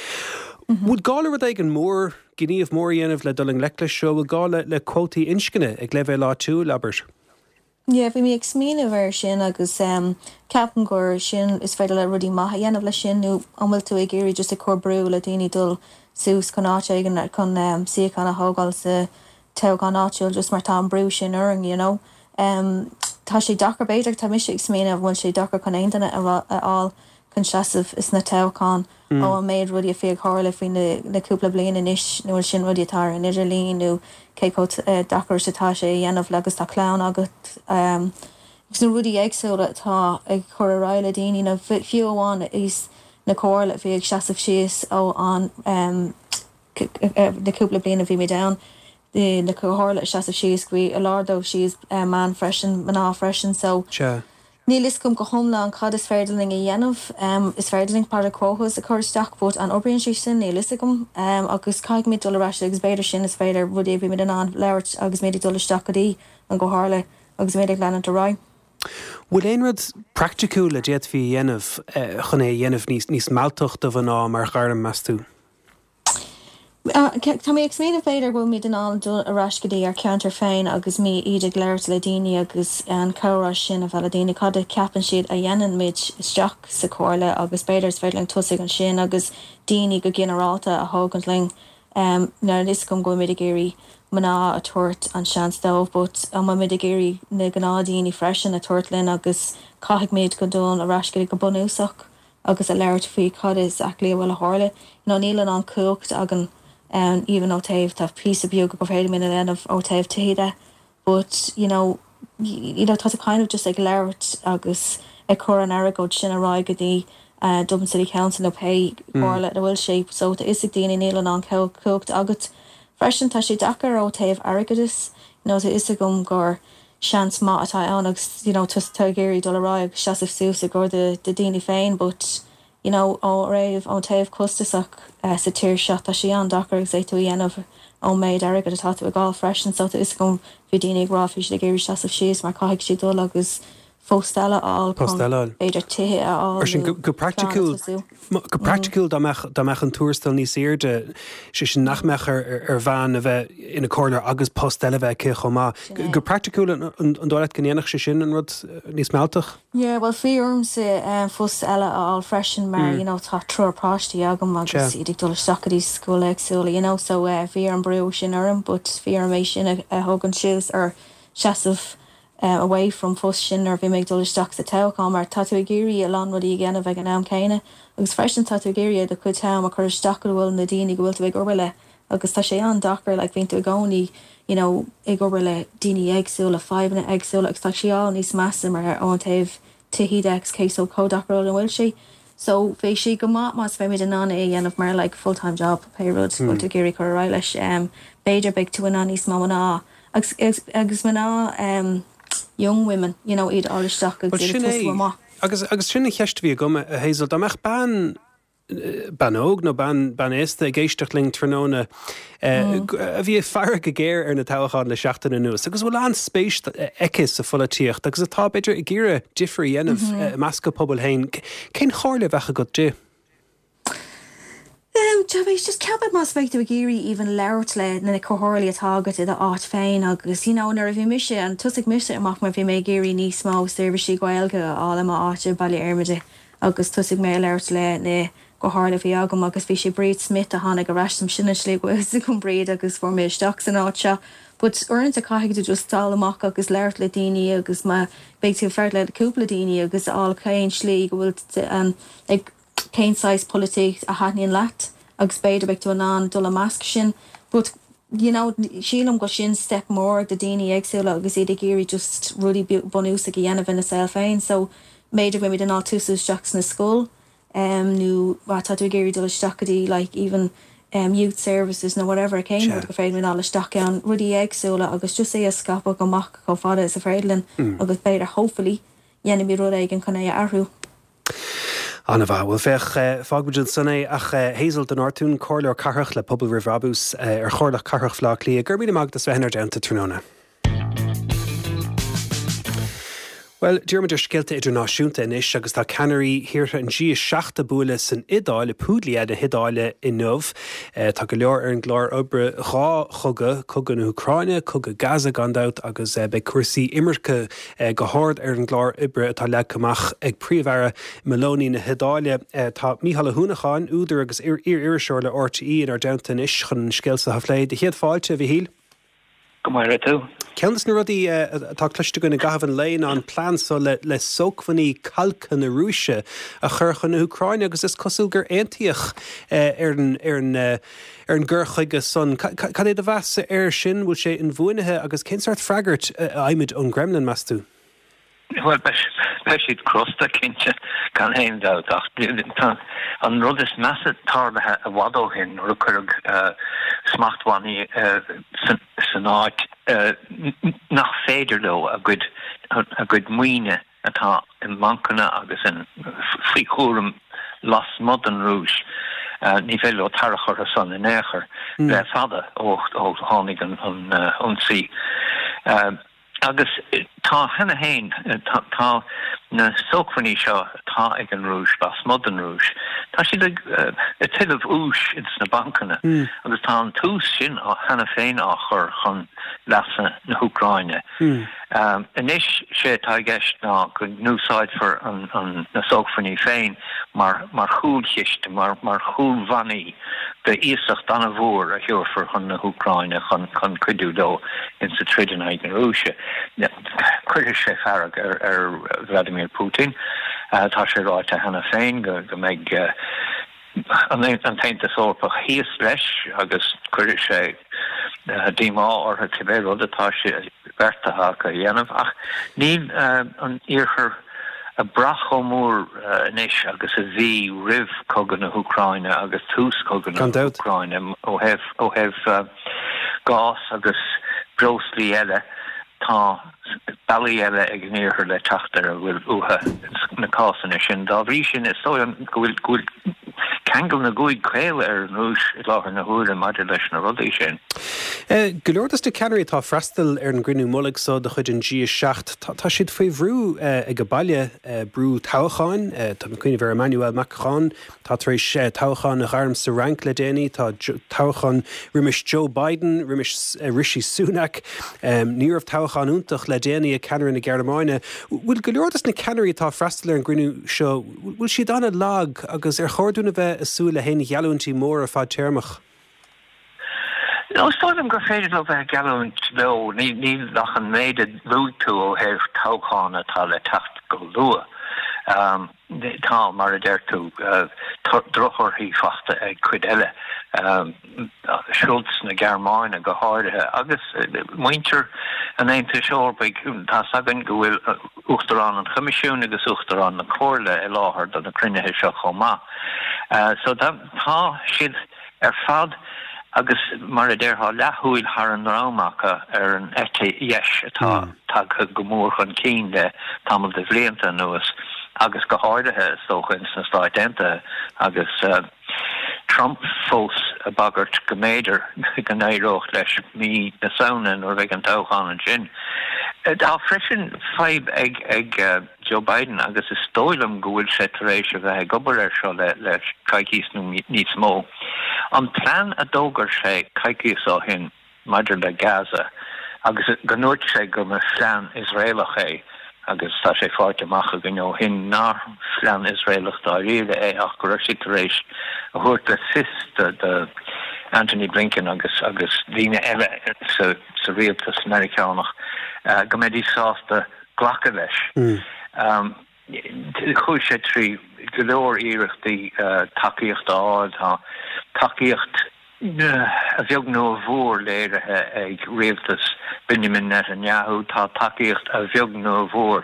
Bhfuil gá le rud éigin mór, gníomh mór a dhéanamh le dul i ngleic leis seo? Bhfuil gá le le cuótaí inscne ag leibhéal áitiúil, abair? Yeah, bhí mé ag smaoineamh air sin agus um, ceapaim gur sin is féidir le rudaí maith a dhéanamh leis sin nó an bhfuil tú ag iarraidh just ag cur brú le daoine dul suas chun áit éigin chun um, suíochán a thógáil sa toghchán áitiúil just mar tá an brú sin orainn, you know. Um, tá sé deacair b'fhéidir tá mise ag smaoineamh bhfuil sé deacair chun aon duine a a fháil chun seasamh sna toghcháin mm. ó an méid rudaí a bhí ag tarlú faoi na, na cúpla bliain anois nó sin rudaí atá ar an idirlíon nó cé chomh uh, deacair atá sé a dhéanamh agus tá clann agat um, agus na rudaí éagsúla atá ag chur ar aghaidh le daoine na fiú amháin is na comhairle bhí ag seasamh síos ó an um, na cúpla bliain a bhí mé ann na comhairle seasamh síos bhí a lán dóibh síos um, man freisin mná freisin so Sea. Níl fhios agam go hiomlán cad is féidir linn a dhéanamh um, is féidir linn para quotas a chur isteach but an oibríonn sé sin níl fhios agam um, agus caithfidh muid dul ar ais agus b'fhéidir sin is féidir rudaí bhí muid in ann labhairt agus muid ag dul isteach go dtí an gcomhairle agus muid ag leanúint ar aghaidh. Bhfuil aon rud praiticiúil a d'fhéadfaí a dhéanamh eh, chun é a dhéanamh níos níos mealltaí do mhná mar ghairm meas tú? Tá mé ag smaoineamh b'fhéidir bhfuil muid in ann dul ar ais go dtí ar ceantar féin agus mé iad ag labhairt le daoine agus an comhrá sin a bheith le daoine cad a ceapann siad a dhéanann muid isteach sa chomhairle agus b'fhéidir is féidir linn tosaigh ansin agus daoine go ginearálta a thógaint linn um, ná is go bhfuil muid ag iarraidh mná a tabhairt an seans dóibh, but an bhfuil muid ag iarraidh na gnáthdhaoine freisin a tabhairt linn agus caithfidh muid go dul ar ais go go bunúsach agus a labhairt faoi cad is actually a bhfuil a tharla. You know, níl an an cumhacht againn um, even ó taobh tá píosa beag go féidir linn a dhéanamh ó taobh tithe but you know you know tá kind of just ag labhairt agus ag cur an airgead sin ar aghaidh go dtí uh, Dublin City Council nó pé comhairle a bhfuil sé so tá is ag daoine níl an an cumhacht agat freisin tá sé deacair ó taobh airgeadais you know, tá is agam gur seans maith atá ann agus you know, tá ag iarraidh dul ar aghaidh agus seasamh suas i gcomhair de, de daoine féin but you know, ó raibh ón taobh costasach uh, sa tír seo tá sé an-deacair agus é tú dhéanamh ón méid airgead atá tú ag fáil freisin so tá is agam bhí daoine ag rá bhí siad ag iarraidh seasamh síos mar caithfidh siad dul agus post eile a fháil Post eile a fháil. b'fhéidir tithe a fháil Ar sin go, go praiticiúil go praiticiúil dá mbeadh dá mbeadh an tuarastal níos airde sé sin nach mbeadh ar, ar, ar bhean a bheith ina comhairleoir agus post eile bheith aici chomh maith. Sin é. Go praiticiúil an, an, an dóigh leat go ndéanfadh sé sin an rud eh, níos mealltaí? Yeah, well bhí ormsa um, post eile a fháil freisin mar mm. you know, tá triúr páistí agam agus Sea. iad ag dul isteach go dtí scoil éagsúla, you know, so uh, bhí an brú sin orm, but bhí orm é sin a, a thógaint suas ar seasamh uh, away from post sin ar bhí mé ag dul isteach sa toghchán mar tá tú ag iarraidh a lán rudaí a dhéanamh ag an am céanna agus freisin tá tú ag iarraidh do chuid am a chur isteach go bhfuil na daoine go bhfuil tú ag obair le agus tá sé an-deacair like, bhíonn tú i gcónaí you know, ag obair le daoine éagsúla fadhbanna éagsúla agus tá sé á níos measa mar ón taobh tithí agus cé so chomh deacair an bhfuil sé. So bhí sé go maith más féidir in ann é a dhéanamh mar like, full-time job pé rud mm. tú ag iarraidh chur ar aghaidh leis um, b'fhéidir beidh tú in ann níos mó mná agus, agus, agus mná um, young women you know, iad á isteach agus Well, iad sin ag tosú é. amach. Agus agus sin an cheist a bhí agam a Hazel dá mbeadh bean eh, bean óg nó bean bean aosta ag éisteacht linn tráthnóna eh, a bhí ag faire go géar ar na toghcháin le seachtain anuas, agus bhfuil an-spéis aici sa pholaitíocht, agus atá b'fhéidir ag iarraidh difear a dhéanamh mm -hmm. measc a pobal féin. Cén chomhairle a bheadh agat di? Um, Tá bheith just ceapaim más bheith tú ag iarraidh even labhairt le na comhairleoirí atá agat i d'áit féin agus you know, nuair a bhí mise an tosaigh mise amach mar bhí mé ag iarraidh níos mó seirbhísí Gaeilge a fháil i m'áit Baile Fheirmide agus tosaigh mé labhairt le na comhairleoirí bhí agam agus bhí sé Bríd Smith a tháinig ar ais sin slí go Bríd agus fuair mé isteach san áit seo. But uaireanta caithfidh tú just dul amach agus labhairt le daoine agus má beidh tú feart le cúpla daoine agus á cén slí go bhfuil um, ag cén saghas polaitíocht a thaitníonn leat agus b'fhéidir beidh tú in ann dul i measc sin. But you know, sílim go sin step mór do daoine éagsúla agus iad ag iarraidh just rudaí bunúsach a dhéanamh ina saol féin, so b'fhéidir bhfuil in ann tosú isteach sna scoil um, nó má tá tú ag iarraidh dul isteach go dtí like even um, youth services nó whatever cén Sure. rud go féidir linn isteach ann rudaí éagsúla agus just é a scaipeadh amach chomh fada is a féidir linn mm. agus b'fhéidir hopefully dhéanfaidh rud éigin chun é a athrú. An-mhaith. Bhuel féach, fágfaimid ansan é ach Hazel de Nortún, Comhairleoir Cathrach le Pobal Roimh Bhrabús ar Chomhairle Cathrach Bhaile Átha Cliath. Go raibh míle maith agat as bheith inár dteannta tráthnóna. Bhuel, díreoimid ar scéalta idirnáisiúnta anois agus tá ceannairí thíortha an G a seacht ag bualadh san Iodáil, i Puglia na hIodáile inniu. Tá go leor ar an gclár oibre, dhá chogadh, cogadh na hÚcráine, cogadh Gaza gan dabht agus beidh cúrsaí imirce go hard ar an gclár oibre atá leagtha amach ag Príomh-Aire Meloni na hIodáile. Tá Mícheál Ó hUanacháin, údar agus iar-iriseoir le R T E inár dteannta anois chun an scéal seo a phlé. Do chéad fáilte, a Mhichíl. Go maire tú. Ceann de na rudaí atá cloiste againn i gcaitheamh an lae ná an plean so le le sócmhainní calctha na Rúise a chur chun na hÚcráine agus is cosúil gur aontaíodh ar an ar an ar an gcur chuige san. Cad é do mheas air sin, bhfuil sé inbhuanaithe agus cén sórt freagairt a fhaighimid ón gCremlin, meas tú? Bhuel, beidh siad crosta, cinnte, gan aon dabht, ach tá an rud is measa tarlaithe i bhfad ó shin nuair a cuireadh smachtbhannaí san áit nach féidir leo a gcuid a gcuid maoine atá i mbancanna agus faoi chúram lasmuigh den Rúis, ní féidir leo tarrach orthu san in aon chor le fada ó tháinig an ionsaí. Agus tá cheana féin, tá na sócmhainní seo atá ag an Rúis, lasmuigh den Rúis, tá siad ag tuilleamh úis ins na bancanna agus tá an t-ús sin cheana féin á chur chun leasa na hÚcráine. Anois, sé atá i gceist ná go n-úsáidfear na sócmhainní féin mar mar chúlchiste, mar mar chúlbhannaí d'iasacht an-mhór a thabharfar chun na hÚcráine chun chun cuidiú leo insa troid in aghaidh na Rúise. Cuirfidh sé fearg ar ar Vladimir Putin. Tá sé ráite cheana féin go go mbeidh an an tAontas Eorpach thíos leis agus cuirfidh sé díomá orthu cibé rud atá sé beartaithe acu a dhéanamh. Ach níl an Iarthar ag brath chomh mór anois agus a bhí roimh chogadh na hÚcráine agus tús chogadh na Gan dabht. hÚcráine ó thaobh ó thaobh gás agus breoslaí eile. Tá bealaí eile ag an Iarthar le teacht ar a bhfuil uathu sna cásanna sin. Dá bhrí sin, is dóigh liom go bhfuil go bhfuil ceangal na gcúig caol ar an Rúis i láthair na huaire maidir leis na rudaí sin. Go leor dos na ceannairí atá ag freastal ar an gcruinniú mullaigh so de chuid an G a seacht, tá siad faoi bhrú ag baile, brú toghcháin. Tá mé ag cuimhneamh ar Emmanuel Macron, tá tar éis toghchán a ghairm sa Fhrainc le déanaí, tá toghchán roimis Joe Biden, roimis Rishi Sunak. Ní raibh toghchán iontach le déanaí ag ceannaire na Gearmáine. Bhfuil go leor dos na ceannairí atá ag freastal ar an gcruinniú seo, bhfuil siad an-lag agus ar chóir dúinn a bheith ag súil le haon gheallúintí móra fadtéarmach? No, is dóigh liom gur féidir leo bheith ag geallúint leo, níl ach an méid a luaigh tú ó thaobh toghchán atá le teacht go luath. Tá, mar a deir tú, drochthorthaí faighte ag cuid eile, Scholz na Gearmáine go háirithe, agus muintir an Aontais Eorpaigh. Tá's againn go bhfuil Uachtarán an Choimisiúin agus Uachtarán na Comhairle i láthair do na cruinnithe seo chomh maith. So tá siad ar fad agus, mar a déarfá, leathshúil thar an ndroim acu ar an eite dheis atá tagtha go mór chun cinn le tamall de bhlianta anuas agus go háirithe, is dócha, ins na Stáit Aontaithe agus Trump fós ag bagairt go mb'fhéidir go n-éireodh leis mí na Samhna nuair a bheidh an toghchán ansin. Tá freisin fadhb ag ag Joe Biden agus is dóigh liom go bhfuil sé tar éis a bheith ag obair air seo le le coicís nó níos mó. An plean a d'fhógair sé coicíos ó shin maidir le Gaza agus go ndúirt sé go mba phlean Iosraelach é agus tá sé faighte amach againn ó shin nár phlean Iosraelach dáiríre é ach go raibh siad tar éis a thabhairt le fios do do Antony Blinken agus agus daoine eile sa sa rialtas Meiriceánach go mbeidís sásta glacadh leis. Chuaigh sé trí go leor iarrachtaí tacaíocht a fháil. Tá tacaíocht a bheag nó a mhór léirithe ag rialtas Benjamin Netanyahu. Tá tacaíocht a bheag nó a mhór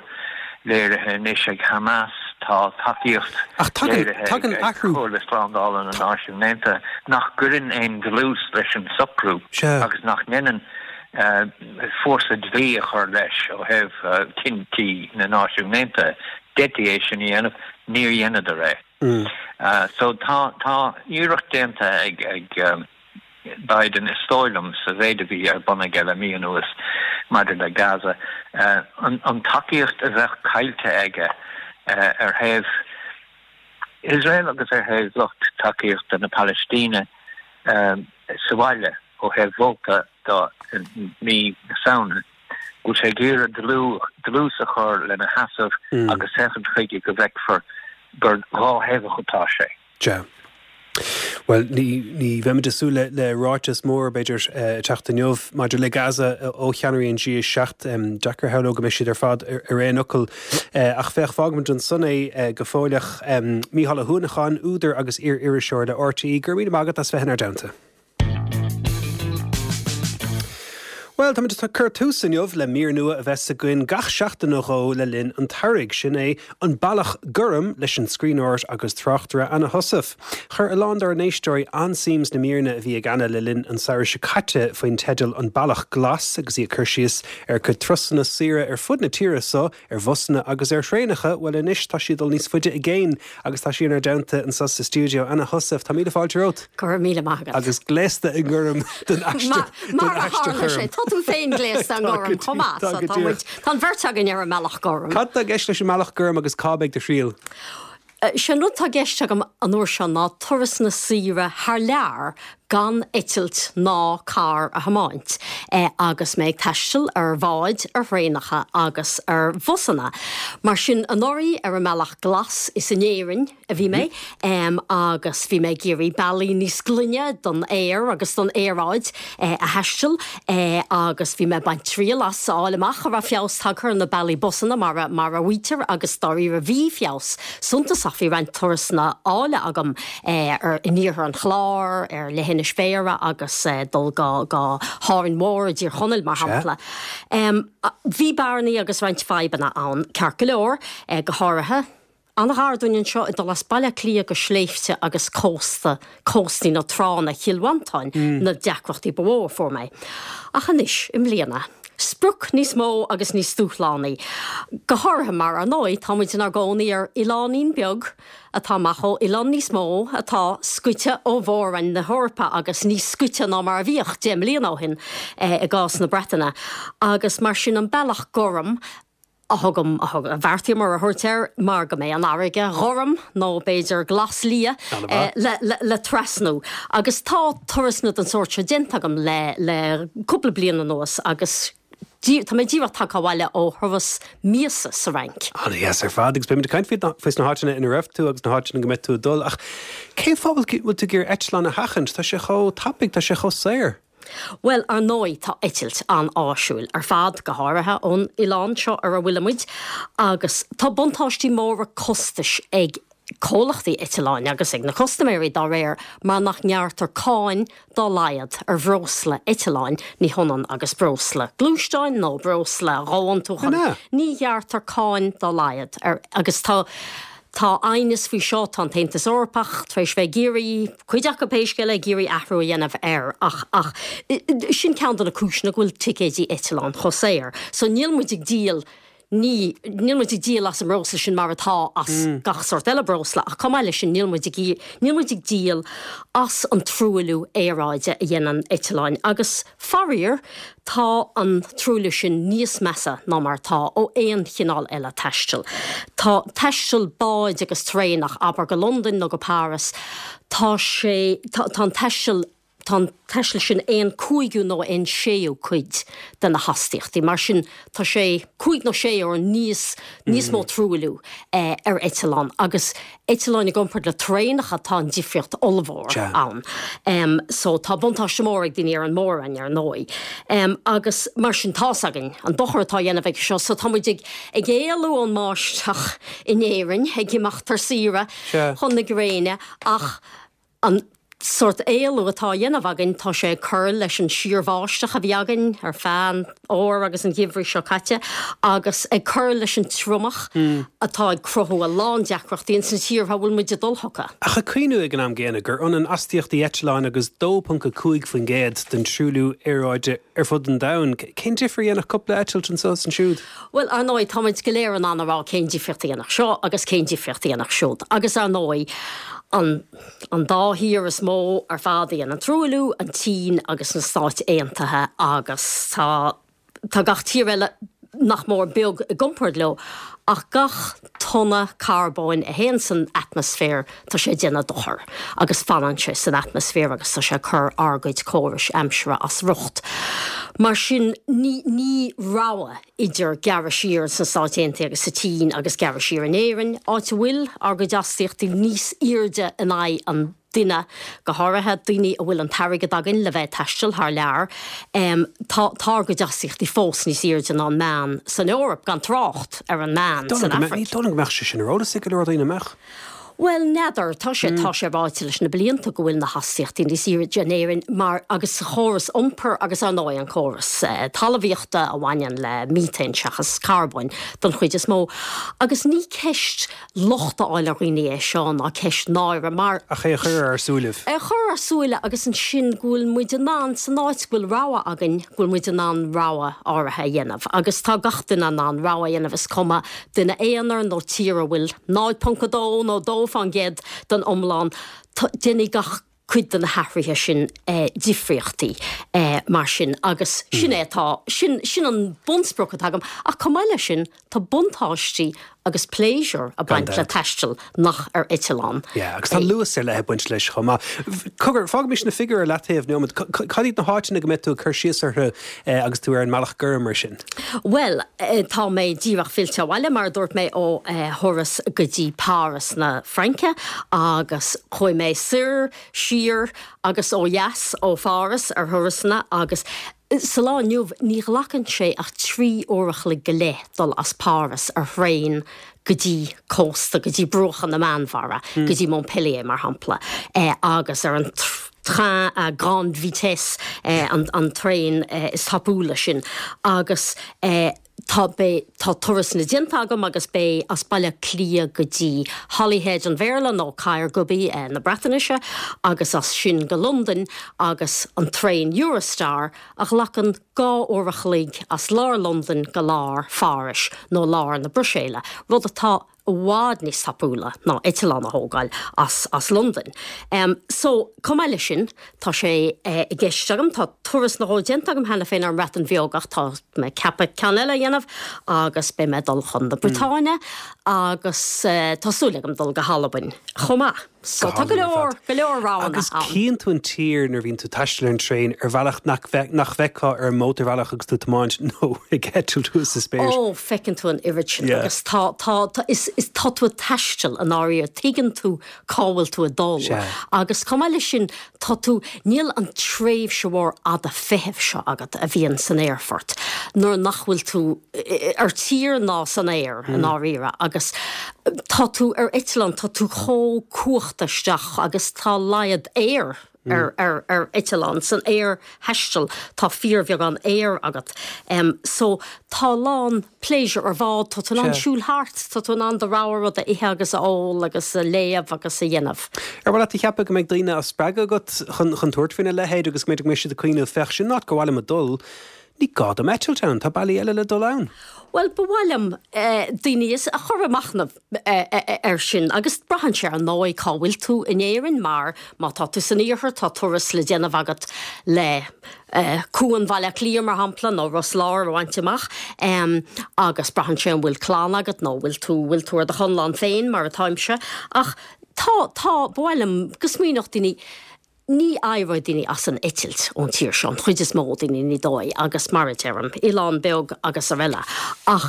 léirithe anois ag Hamas. Tá tacaíocht léirithe ag Comhairle Slándála na Náisiún Aontaithe nach gcuireann aon dlús leis an socrú agus nach ndéanann fórsa dlí a chur leis ó thaobh cinntí na Náisiún Aontaithe. D'fhéadfaí é sin a dhéanamh, níor dheineadar é. So tá tá iarracht déanta ag ag Biden is dóigh liom sa mhéid a bhí ar bun aige le mí anuas maidir le Gaza, an an tacaíocht a bheadh caillte aige ar thaobh Iosrael agus ar thaobh lucht tacaíochta na Palaistíne sa bhaile ó thaobh vóta de i mí na Samhna, go bhfuil sé ag iarraidh dlús a chur lena sheasamh agus féachaint chuige go bhfeicfear gur dhá thaobhach atá sé. Sea. Bhuel, ní ní bheimid ag súil le le ráiteas mór, b'fhéidir, ag teacht inniu maidir le Gaza ó cheannairí an G a seacht. Deacair a shamhlú go mbeidh siad ar fad ar aon fhocal. Ach féach, fágfaimid ansan é go fóilleach. Mícheál Ó hUanacháin, údar agus iar-iriseoir le RTÉ, go raibh míle maith agat as bheith inár dteannta. Bhuel, táimid ag cur tús inniu le mír nua a bheas againn gach seachtain nó dhó le linn an tsamhraidh. Sin é An Bealach Gorm leis an scríbhneoir agus tráchtaire Anna Heussaff. Chuir a lán dár n-éisteoirí an-suim sna míreanna a bhí ag Anna le linn an tsamhraidh seo caite faoin teideal An Bealach Glas agus í ag cur síos ar a cuid turasanna saoire ar fud na tíre so, ar bhusanna agus ar thraenacha. Bhuel anois tá sí ag dul níos faide i gcéin agus tá sí inár dteannta anseo sa stiúideo. Anna Heussaff, tá míle fáilte romhat. Go raibh míle maith agat. Agus gléasta i ngorm don aistear Mar a tharla sé, tá tú féin gléasta i ngorm chomh maith, so tá muid, tá an bheirt againn ar an mbealach gorm. Cad tá i gceist leis an mbealach gorm agus cá mbeidh do thriall? Sé an rud tá i gceist agam an uair seo ná turasanna saoire thar lear gan eitilt ná carr a thiomáint agus mé ag taisteal ar bháid, ar thraenacha agus ar bhusanna. Mar sin anuraidh ar an mbealach glas is in Éirinn a bhí mé agus bhí mé ag iarraidh bealaí níos glaine don aer agus don aeráid a thaisteal agus bhí mé ag baint triail as a fháil amach an raibh feabhas tagtha ar na bealaí busanna mar a mar a mhaítear agus dáiríre bhí feabhas suntasach bhí roinnt turasanna áille agam ar in iarthar an Chláir, ar Leithinis Bhéarra agus dul go go hÁrainn Mhór i dTír Chonaill mar shampla. Bhí bearnaí agus roinnt fadhbanna ann ceart go leor, go háirithe An-ghar dúinn anseo ag dul as Baile Átha Cliath go sléibhte agus cósta, cóstaí nó tránna Chill Mhantáin na deacrachtaí ba mhó a fuair mé. Ach anois, i mbliana, sprioc níos mó agus níos dúshlánaí. Go háirithe mar, ar ndóigh, tá muid inár gcónaí ar oileáinín beag atá amach ó oileán níos mó atá scoite ó mhór-roinn na hEorpa agus níos scoite ná mar a bhíodh deich mbliana ó shin i gcás na Breataine. Agus mar sin an bealach gorm a thugaim, a thug, a bheartaíomar a thabhairt air mar go mbeidh an fharraige ghorm, nó b'fhéidir glas liath, le, le, le trasnú. Agus tá turasanna den sórt seo déanta agam le, le cúpla bliain anuas agus dí, tá mé díreach tagtha abhaile ó thuras míosa sa Fhrainc. An-dheas ar fad agus beimid ag caint faoi, faoi sna háiteanna ina raibh tú agus na háiteanna go mbeidh tú ag dul ach cén fáth a bhfuil tú ag iarraidh eitleán a sheachaint? Tá sé chomh tapaidh, tá sé chomh saor. Bhuel, ar ndóigh, tá eitilt an-áisiúil ar fad, go háirithe ón oileán seo ar a bhfuilimid, agus tá buntáistí móra costais ag comhlachtaí eitleáin agus ag na custaiméirí dá réir mar nach ngearrtar cáin dá laghad ar bhreosla eitleáin, ní hionann agus breosla gluaisteáin nó breosla dhomhantúcháin, ní ghearrtar cáin dá laghad ar agus tá. Tá aighneas faoi seo, tá an tAontas Eorpach tar éis bheith ag iarraidh, cuid acu pé scéal é, ag iarraidh athrú a dhéanamh air ach ach sin ceann de na cúiseanna go bhfuil ticéidí eitleáin chomh saor. So níl muid ag díol, ní, níl muid ag díol as an mbreosla sin mar atá as gach sórt eile breosla ach chomh maith leis sin níl muid ag, níl muid ag díol as an truailliú aeráide a dhéanann eitleáin agus faraor, Tá an truailliú sin níos measa ná mar atá ó aon chineál eile taistil. Tá taisteal báid agus traenach, abair go Londain nó go Páras, tá sé, tá an taisteal, tá an taisteal sin aon cúigiú nó aon séú cuid de na hastaíochtaí. Mar sin, tá sé cúig nó sé uair níos, níos mó truailliú ar eitleán agus eitleáin i gcomparáid le traenacha tá an difríocht ollmhór ann. So tá buntáiste mór ag daoine ar an mór-roinn ar ndóigh. Agus mar sin tá's againn an dochar atá á dhéanamh aige seo so tá muid ag ag éalú ón mbáisteach in Éirinn, ag imeacht ar saoire chun na gréine ach an sórt éalú atá á dhéanamh againn, tá sé ag cur leis an síorbháisteach a bhí againn ar feadh an fhómhair agus an gheimhridh seo caite agus ag cur leis an triomach atá ag cruthú a lán deacrachtaí ins na tíortha a bhfuil muid ag dul chucu. Ach ag cuimhniú ag an am gcéanna gur ionann astaíochtaí eitleáin agus dó ponc a cúig faoin gcéad den truailliú aeráide ar fud an domhain, cén difear a dhéanfadh cúpla eitilt anseo is ansiúd? Bhuel, ar ndóigh, táimid go léir in ann a rá cén difríocht a dhéanfadh seo agus cén difríocht a dhéanfadh siúd. Agus ar ndóigh, an an dá thír is mó ar fad a dhéanann truailliú, an tSín agus na Stáit Aontaithe agus tá tá gach tír eile nach mór beag i gcomparáid leo, ach gach tonna carbóin a théann san atmaisféar tá sé ag déanamh dochar agus fanann sé san atmaisféar agus tá sé ag cur ár gcuid córais aimsire as riocht. Mar sin ní ní rogha idir gearradh siar sna Stáit Aontaithe agus sa tSín agus gearradh siar in Éirinn, áit a bhfuil ár gcuid astaíochtaí níos airde in aghaidh an duine, go háirithe daoine a bhfuil an t-airgead againn le bheith ag taisteal thar lear. Tá tá ár gcuid astaíochtaí fós níos airde ná an meán san Eoraip, gan trácht ar an meán san Afraic. Ní dóigh liom go mbeadh sé sin ar eolas ag go leor daoine, an mbeadh? Bhuel, n'fheadar. Tá sé, tá sé ráite leis na blianta go bhfuil na hastaíochtaí níos airde in Éirinn mar, agus sa chóras iompair agus ar ndóigh an córas talmhaíochta a bhaineann le míthéin seachas carbóin don chuid is mó. Agus ní ceist locht a fháil ar dhaoine é seo ná ceist náire mar. Ach é a chur ar ár súilibh. É a chur ar súile agus ansin go bhfuil muid in ann, san áit go bhfuil rogha againn, go bhfuil muid in ann rogha áirithe a dhéanamh. Agus tá gach duine in ann rogha a dhéanamh, is cuma duine aonair nó tír a bhfuil náid ponc a dó nó dó fán gcéad den iomlán, déanfaidh gach cuid de na hathruithe sin difríochtaí mar sin agus sin é atá, sin, sin an bunsprioc atá agam. Ach chomh maith leis sin, tá buntáistí agus pléisiúr ag baint le taisteal nach ar eitleán. Yeah, agus tá luas ar leith ag baint leis chomh maith. Cogar, fágaimis na figiúirí ar leataobh nóiméad. Cad iad na háiteanna go mbeidh tú ag cur síos orthu agus tú ar an mbealach gorm mar sin? Bhuel, tá mé díreach fillte abhaile, mar a dúirt mé, ó thuras go dtí Páras na Fraince agus chuaigh mé soir, siar agus ó dheas ó Pháras ar thurasanna agus sa lá inniu ní ghlacann sé ach trí uair a chloig go leith dul as Páras ar thraein go dtí cósta, go dtí bruacha na Meánmhara, go dtí Montpellier mar shampla, agus ar an train à grande vitesse, an traein is tapúla sin agus tá, beidh, tá turasanna déanta agam agus beidh as Baile Átha Cliath go dtí Holyhead an Bhéarla nó Caergybi na Breatnaise agus as sin go Londain agus an traein Eurostar a ghlacann dhá uair a chloig as lár Londain go lár Phárais nó lár na Bruiséile, rud atá i bhfad níos tapúla ná eitleán a thógáil as as Londain. So, chomh maith leis sin, tá sé i gceist agam, tá turas nó dhó déanta agam cheana féin ar an mBreatain Bheag ach tá mé ag ceapadh ceann eile a dhéanamh agus beidh mé ag dul chun na Briotáine agus tá súil agam dul go hAlbain chomh maith. So tá go leor, go leor roghanna Agus ann. Cíonn tú an tír nuair a bhíonn tú ag taisteal ar an traein ar bhealach nach nach bhfeicfeá ar an mótarbhealach agus tú ag tiomáint nó ag eitilt thuas sa spéir. Ó, feiceann tú an oiread sin Yeah. agus tá, tá, tá, is, is tá tú ag taisteal i ndáiríre, tuigeann tú cá bhfuil tú ag dul. Sea. Agus chomh maith leis sin, tá tú, níl an tréimhse mhór fhada feithimh seo agat a bhíonn san aerfort nuair nach bhfuil tú ar tír ná san aer i ndáiríre agus tá tú ar eitleán, tá tú chomh cuachta isteach agus tá laghad aeir ar ar ar eitleán, san aerthaisteal tá fíorbheagán aeir agat. So tá a lán pléisiúr ar bhád, tá tú in ann siúl thart, tá tú in ann do rogha rud a ithe agus a ól agus a léamh agus a dhéanamh. Ar mhaith leat a cheapadh go mbeidh daoine á spreagadh agat chun chun tabhairt faoina leithéid agus go mb'fhéidir go mbeidh siad ag cuimhneamh, féach, sin áit gur mhaith liom a dul, Ní gá dom eitilt ann, tá bealaí eile le dul ann. Bhuel, ba mhaith liom daoine a chur ag machnamh air sin agus braitheann sé ar ndóigh cá bhfuil tú in Éirinn mar má tá tú san iarthar tá turas le déanamh agat le Cuan Bhaile Átha Cliath mar shampla nó Ros Láir a bhaint amach agus braitheann sé an bhfuil clann agat nó bhfuil tú bhfuil tú ar do chonlán féin mar atáimse ach tá tá ba mhaith liom go smaoineodh daoine Ní éireoidh daoine as an eitilt ón tír seo, an chuid is mó daoine, ní dóigh, agus mar a deirim, oileán beag agus araile. Ach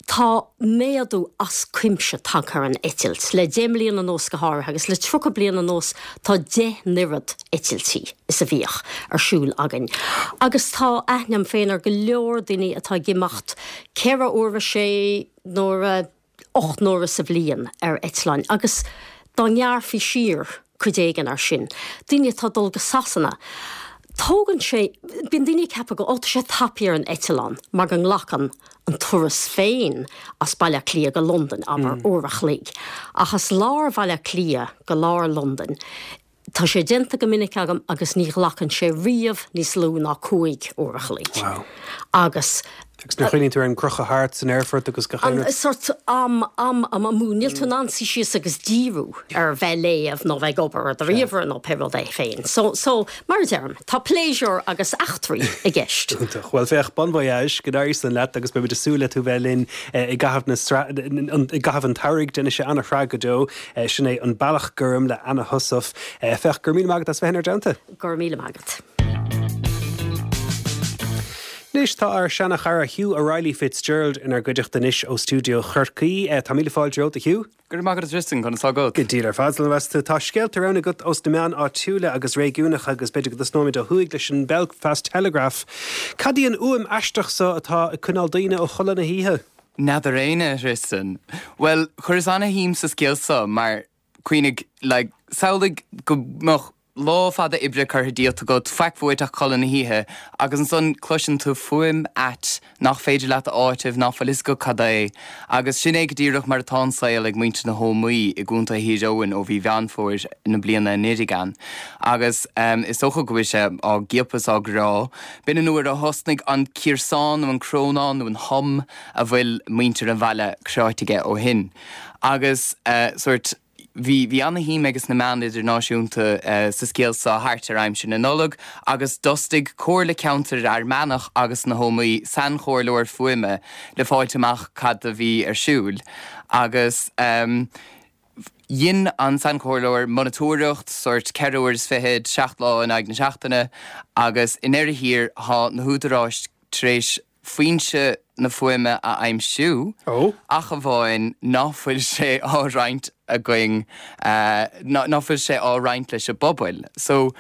tá méadú as cuimse tagtha ar an eitilt, le deich mbliana anuas go háirithe, agus le tríocha bliain anuas tá deich n-oiread eitiltí is a bhíodh ar siúl againn. Agus tá aithne agam féin ar go leor daoine atá ag imeacht ceithre huaire, sé n-uaire, ocht n-uaire sa bhliain ar eitleáin agus dá ngearrfaí siar cuid éigin ar sin. Daoine atá ag dul go Sasana. Tógann sé, bíonn daoine ag ceapadh go, ó tá sé tapaidh ar an eitleán mar go nglacann an turas féin as Baile Átha Cliath go Londain, abair, uair a chloig. Ach as lár Bhaile Átha Cliath go lár Londain, tá sé déanta go minic agam agus ní ghlacann sé riamh níos lú ná cúig uair a chloig. Wow. Agus Agus nuair a chuimhníonn tú ar an gcrochadh thart san aerfort agus gach aon rud. An sort am, am, am amú. Níl tú in ann suí síos agus díriú ar bheith ag léamh nó bheith ag obair ar do ríomhaire nó pé rud é féin. So, so, mar a deirim, tá pléisiúr agus eachtraí i gceist. Iontach. Bhuel, féach, bon voyage, go n-éirí san leat agus beimid ag súil le tú bheith linn i gcaitheamh na sra-, i gcaitheamh an tsamhraidh. Déanfaidh sé an-shraith go deo. Sin é An Bealach Gorm le Anna Heussaff. Féach, go raibh míle maith agat as bheith inár dteannta. Go raibh míle maith agat. Anois tá ár seana-chara Hugh O'Reilly Fitzgerald inár gcuideachta anois ó stiúideo Chorcaí. Tá míle fáilte romhat, a Hugh. Go raibh maith agat a Tristan, conas tá agat? Go diail ar fad, slán tú. Tá scéalta romhainn agat ós na meáin áitiúla agus réigiúnacha agus b'fhéidir go dtosnóimid ó thuaidh leis an Belfast Telegraph. Cad í an fhuaim aisteach so atá ag coinneáil daoine ó chodladh na hoíche? N'fheadar éinne, a Thristan. Bhuel, chuireas ana-shuim sa scéal so mar, cuimhnigh, like, samhlaigh go mbeadh lá fada oibre curtha díot agat, faic uait ach codladh na hoíche, agus ansan cloiseann tú fuaim ait nach féidir leat a áiteamh, ná fuil fhios agat cad é. Agus sin é go díreach mar atá an saol ag muintir na hÓmaí i gContae Thír Eoghain ó mhí Mheán Fómhair na bliana anuraidh ann. Agus is dócha go bhfuil sé á gciapadh is á gcrá. B'in an uair a thosnaigh an ciarsán nó an crónán nó an hum a bhfuil muintir an bhaile cráite aige ó shin. Agus sórt. Bhí bhí ana-shuim ages na meáin idirnáisiúnta sa scéal seo thart ar aimsir na Nollag agus d'fhostaigh Comhairle Ceantair Fhear Manach agus na hÓmaí sainchomhairleoir fuaime le fáilt amach cad a bhí ar siúl agus dhein an sainchomhairleoir monatóireacht sórt ceithre uair is fichead, seacht lá in aghaidh na seachtaine agus i ndeireadh thiar thá na húdaráis tar éis foinse na fuaime a aimsiú, ach amháin ná fuil sé á roinnt againn, ná fuil sé á roinnt leis an bpobal. So,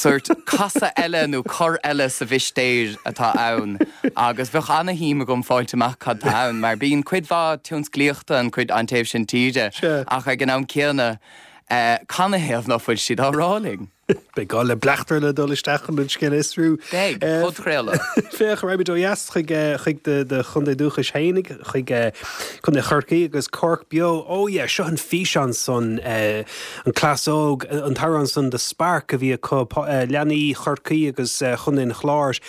sórt casadh eile nó cor eile sa mhistéir atá ann agus bheadh ana-shuim agam fáilt amach cad tá ann mar bíonn cuid mhaith tionsclaíochta an cuid an taobh sin tíre ach ag an am céanna canathaobh ná fuil siad á rá linn? Beidh gá le bleachtaire le dul isteach chun an scéal a fhiosrú. Beidh, podchraoladh. Féach, raghaimid ó dheas chuig chuig do do chontae dúchais fhéinig, chuig Contae Chorcaí agus Cork Beo. Oh yeah, seo an físeán san, an cleas óg, an t-amhrán san The Spark a bhí acu, leanaí Chorcaí agus Chontae an Chláir.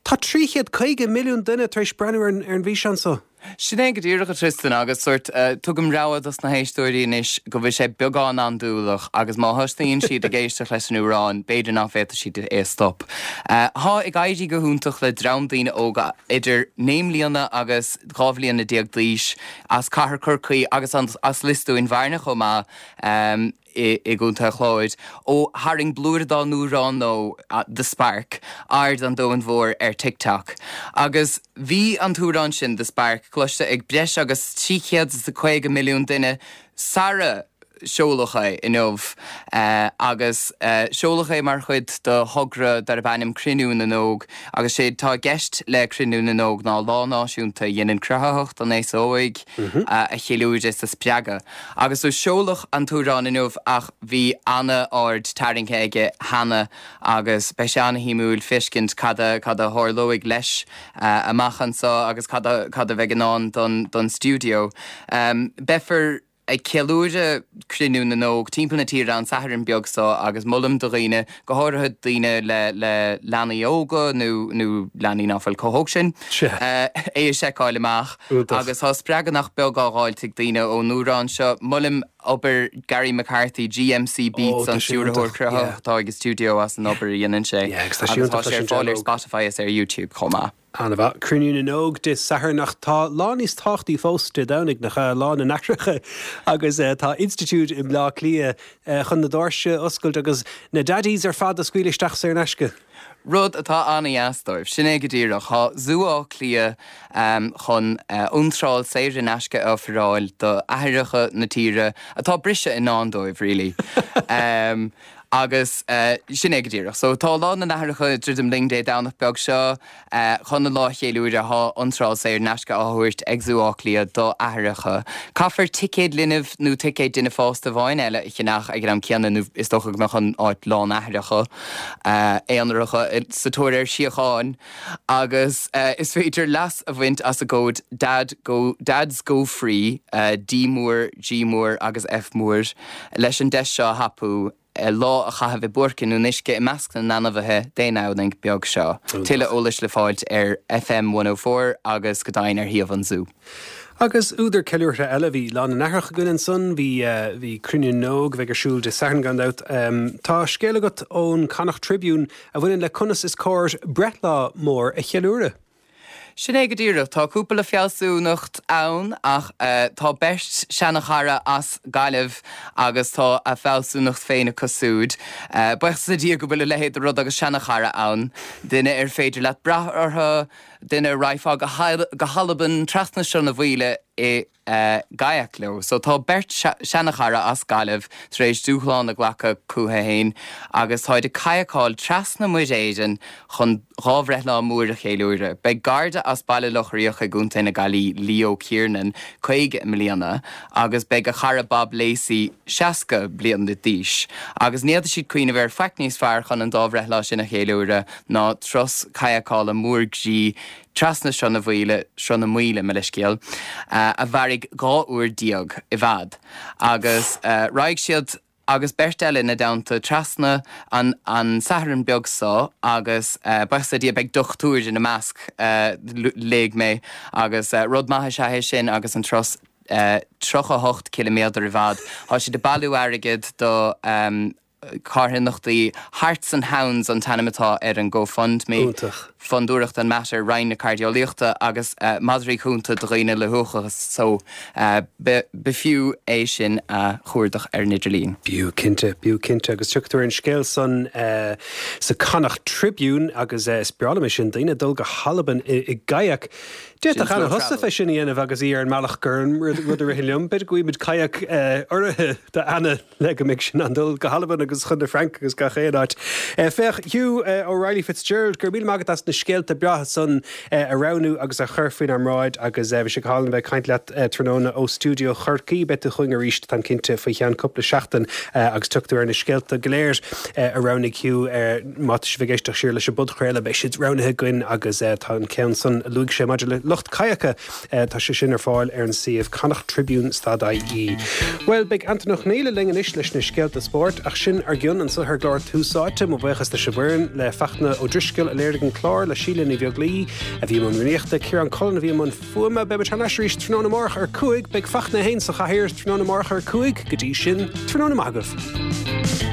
Tá trí chéad caoga milliún duine tar éis breathnú ar an bhfíseán so. Sin é go díreach, a Tristan, agus sórt, tugaim rabhadh dos na héisteoirí anois go bhfuil sé beagán andúileach agus má thosnaíonn siad ag éisteacht leis an amhrán, b'fhéidir nach bhféadfaidh siad é a stop. Thá ag éirí go hiontach le dream daoine óga idir naoi mbliana agus dhá bhliana déag d'aois as cathair Chorcaí agus as Lios Dúin Bhearna chomh maith, i gContae an Chláir, ó tharraing blúire dá n-amhrán nó The Spark, aird an domhain mhóir ar TikTok. Agus bhí an t-amhrán sin, The Spark, cloiste ag breis agus trí chéad is a caoga milliún duine sara seoladh é inniu agus seoladh é mar chuid de thogra darb ainm Cruinniú na nÓg agus sé tá i gceist le Cruinniú na nÓg ná lá náisiúnta a dhéanann cruthaitheacht an aosa óig a cheiliúradh is a spreagadh. Agus so seoladh an t-amhrán inniu ach bhí ana-aird tarraingthe aige cheana agus beidh sé ana-shuimiúil feiscint cad a cad a tharlóidh leis amach anso agus cad a cad a bheidh i ndán don don stiúideo. Beifear ag ceiliúradh Cruinniú na nÓg timpeall na tíre an Satharn beag seo agus molaim do dhaoine, go háirithe daoine le le leanaí óga nó nó leanaí ná fuil chomh hóg sin, é a seiceáil amach. Agus tá spreagadh nach beag á dh'fháilt ag daoine ón amhrán seo. Molaim obair Gary McCarthy, GMC Beats, an stiúrthóir cruthaitheach atá ag an stiúideo as an obair a dhéanann sé. Agus tá sé ar fáil ar Spotify is ar YouTube chomh maith. Ana-mhaith. Cruinniú na nÓg Dé Sathairn ach tá lá níos tábhachtaí fós Dé Domhnaigh, nach ea? Lá na nAithreacha agus tá institiúid i mBleá Cliath chun na doirse a oscailt agus na daddies ar fad a scaoileadh isteach saor in aisce. Rud atá ana-dheas dóibh. Sin é go díreach. Tá Zú Átha Cliath chun iontráil saor in aisce a ofráil do aithreacha na tíre atá briseadh i ndán dóibh, really. Agus sin é go díreach. So tá Lá na nAithreacha ag druidim linn Dé Domhnach beag seo. Chun an lá a cheiliúradh tá iontráil saor in aisce á thabhairt ag Zú Átha Cliath do aithreacha. Caithfear ticéad linbh nó ticéad duine fásta amháin eile a cheannach ag an am céanna nó is dócha go mbeadh an áit lán aithreacha aonaracha sa tóir ar síocháin. Agus is féidir leas a bhaint as an gcód Dad Go Dads Go Free, D mór, G mór agus F mór, leis an deis seo a thapú. lá a chaitheamh i bpáirc nó in uisce i measc na n-ainmhithe Dé Domhnaigh beag seo. Tuilleadh eolais le fáilt ar FM one oh four agus go deimhin ar shuíomh an Zú. Agus údar ceiliúrtha eile, bhí Lá na nAithreach againn ansan, bhí bhí Cruinniú na nÓg a bheidh ar siúl Dé Sathairn gan dabht. Tá scéal agat ón Connacht Tribune a bhaineann le conas is cóir breithlá mór a cheiliúradh. Sin é go díreach. Tá cúpla fealsúnacht ann ach tá beirt seanachara as Gaillimh agus tá a bhfealsúnacht féin acu siúd. Buíochas le Dia go bhfuil a leithéid de rud agus seanachara ann, duine ar féidir leat brath orthu, duine a raghfá go hAlbain trasna Sruth na Maoile i gkayak leo. So tá beirt seanachara as Gaillimh tar éis dúshlán a ghlacadh chucu féin agus táid ag cadhcáil trasna Muir Éireann chun dhá bhreithlá mór a cheiliúradh. Beidh Garda as Baile Locha Riach i gContae na Gaillimhe, Leo Kiernan, caoga i mbliana agus beidh a chara Bob Lacey seasca bliain d'aois agus ní fhéadfadh siad cuimhneamh ar faic níos fearr chun an dá bhreithlá sin a cheiliúradh ná turas cadhcála mór groí trasna Sruth na Maoile, Sruth na Maoile, mo leithscéal, a mhairfidh dhá uair déag i bhfad. Agus raghaidh siad agus beirt eile ina dteannta trasna an an Satharn beag seo agus buíochas le Dia beidh dochtúir ina measc, léigh mé, agus rud maith is ea é sin agus an turas tríocha a hocht ciliméadar i bhfad. Tá siad ag bailiú airgid do. carthanachtaí Hearts and Hounds an t-ainm atá ar an GoFundMe. Iontach. Fondúireacht an Mater, Roinn na Cairdeolaíochta agus madraí cúnta do dhaoine le huachachas so b'fhiú é sin a chuardach ar an idirlíon. B'fhiú cinnte, b'fhiú cinnte agus tiocfaidh tú ar an scéal san sa Connacht Tribune agus is breá liom é sin, daoine ag dul go hAlbain i gkayak. D'fhéadfadh Anna Heussaff é sin a dhéanamh agus í ar an mbealach gur an rud a ritheann liom. B'fhéidir go bhfaighimid kayak urraithe d'Anna le go mbeidh sí in ann dul go hAlbain agus chun na Fraince agus gach aon áit. Féach, Hugh O'Reilly Fitzgerald, go raibh míle maith agat as na scéalta breátha san a roghnú agus a chur faoinár mbráid agus bhí sé go hálainn a bheith ag caint leat tráthnóna ó stiúideo Chorcaí. Beidh tú chugainn arís, táim cinnte, faoi cheann cúpla seachtain agus tiocfaidh tú ar na scéalta go léir a roghnaigh Hugh. Má tá sibh ag éisteacht siar leis an bpodchraoladh, beidh siad roghnaithe againn agus tá an ceann san a luaigh sé maidir le lucht cadhcála, tá sé sin ar fáil ar an suíomh connachttribune stad ie. Bhuel, beidh Antain Ó Conghaile linn anois leis na scéalta spóirt, ach sin ár gcionn anseo ar an gclár Tús Áite. Mo bhuíochas leis an bhfoireann, le Fachtna Ó Drisceoil a léirigh an clár, le Síle Ní Bheaglaoí a bhí i mbun rúnaíochta, Ciarán Cullen a bhí i mbun fuaime. Beidh muid thar n-ais arís tráthnóna amárach ar a cúig. Beidh Fachtna féin sa chathaoir tráthnóna amárach ar a cúig. Go dtí sin, tráthnóna maith agaibh.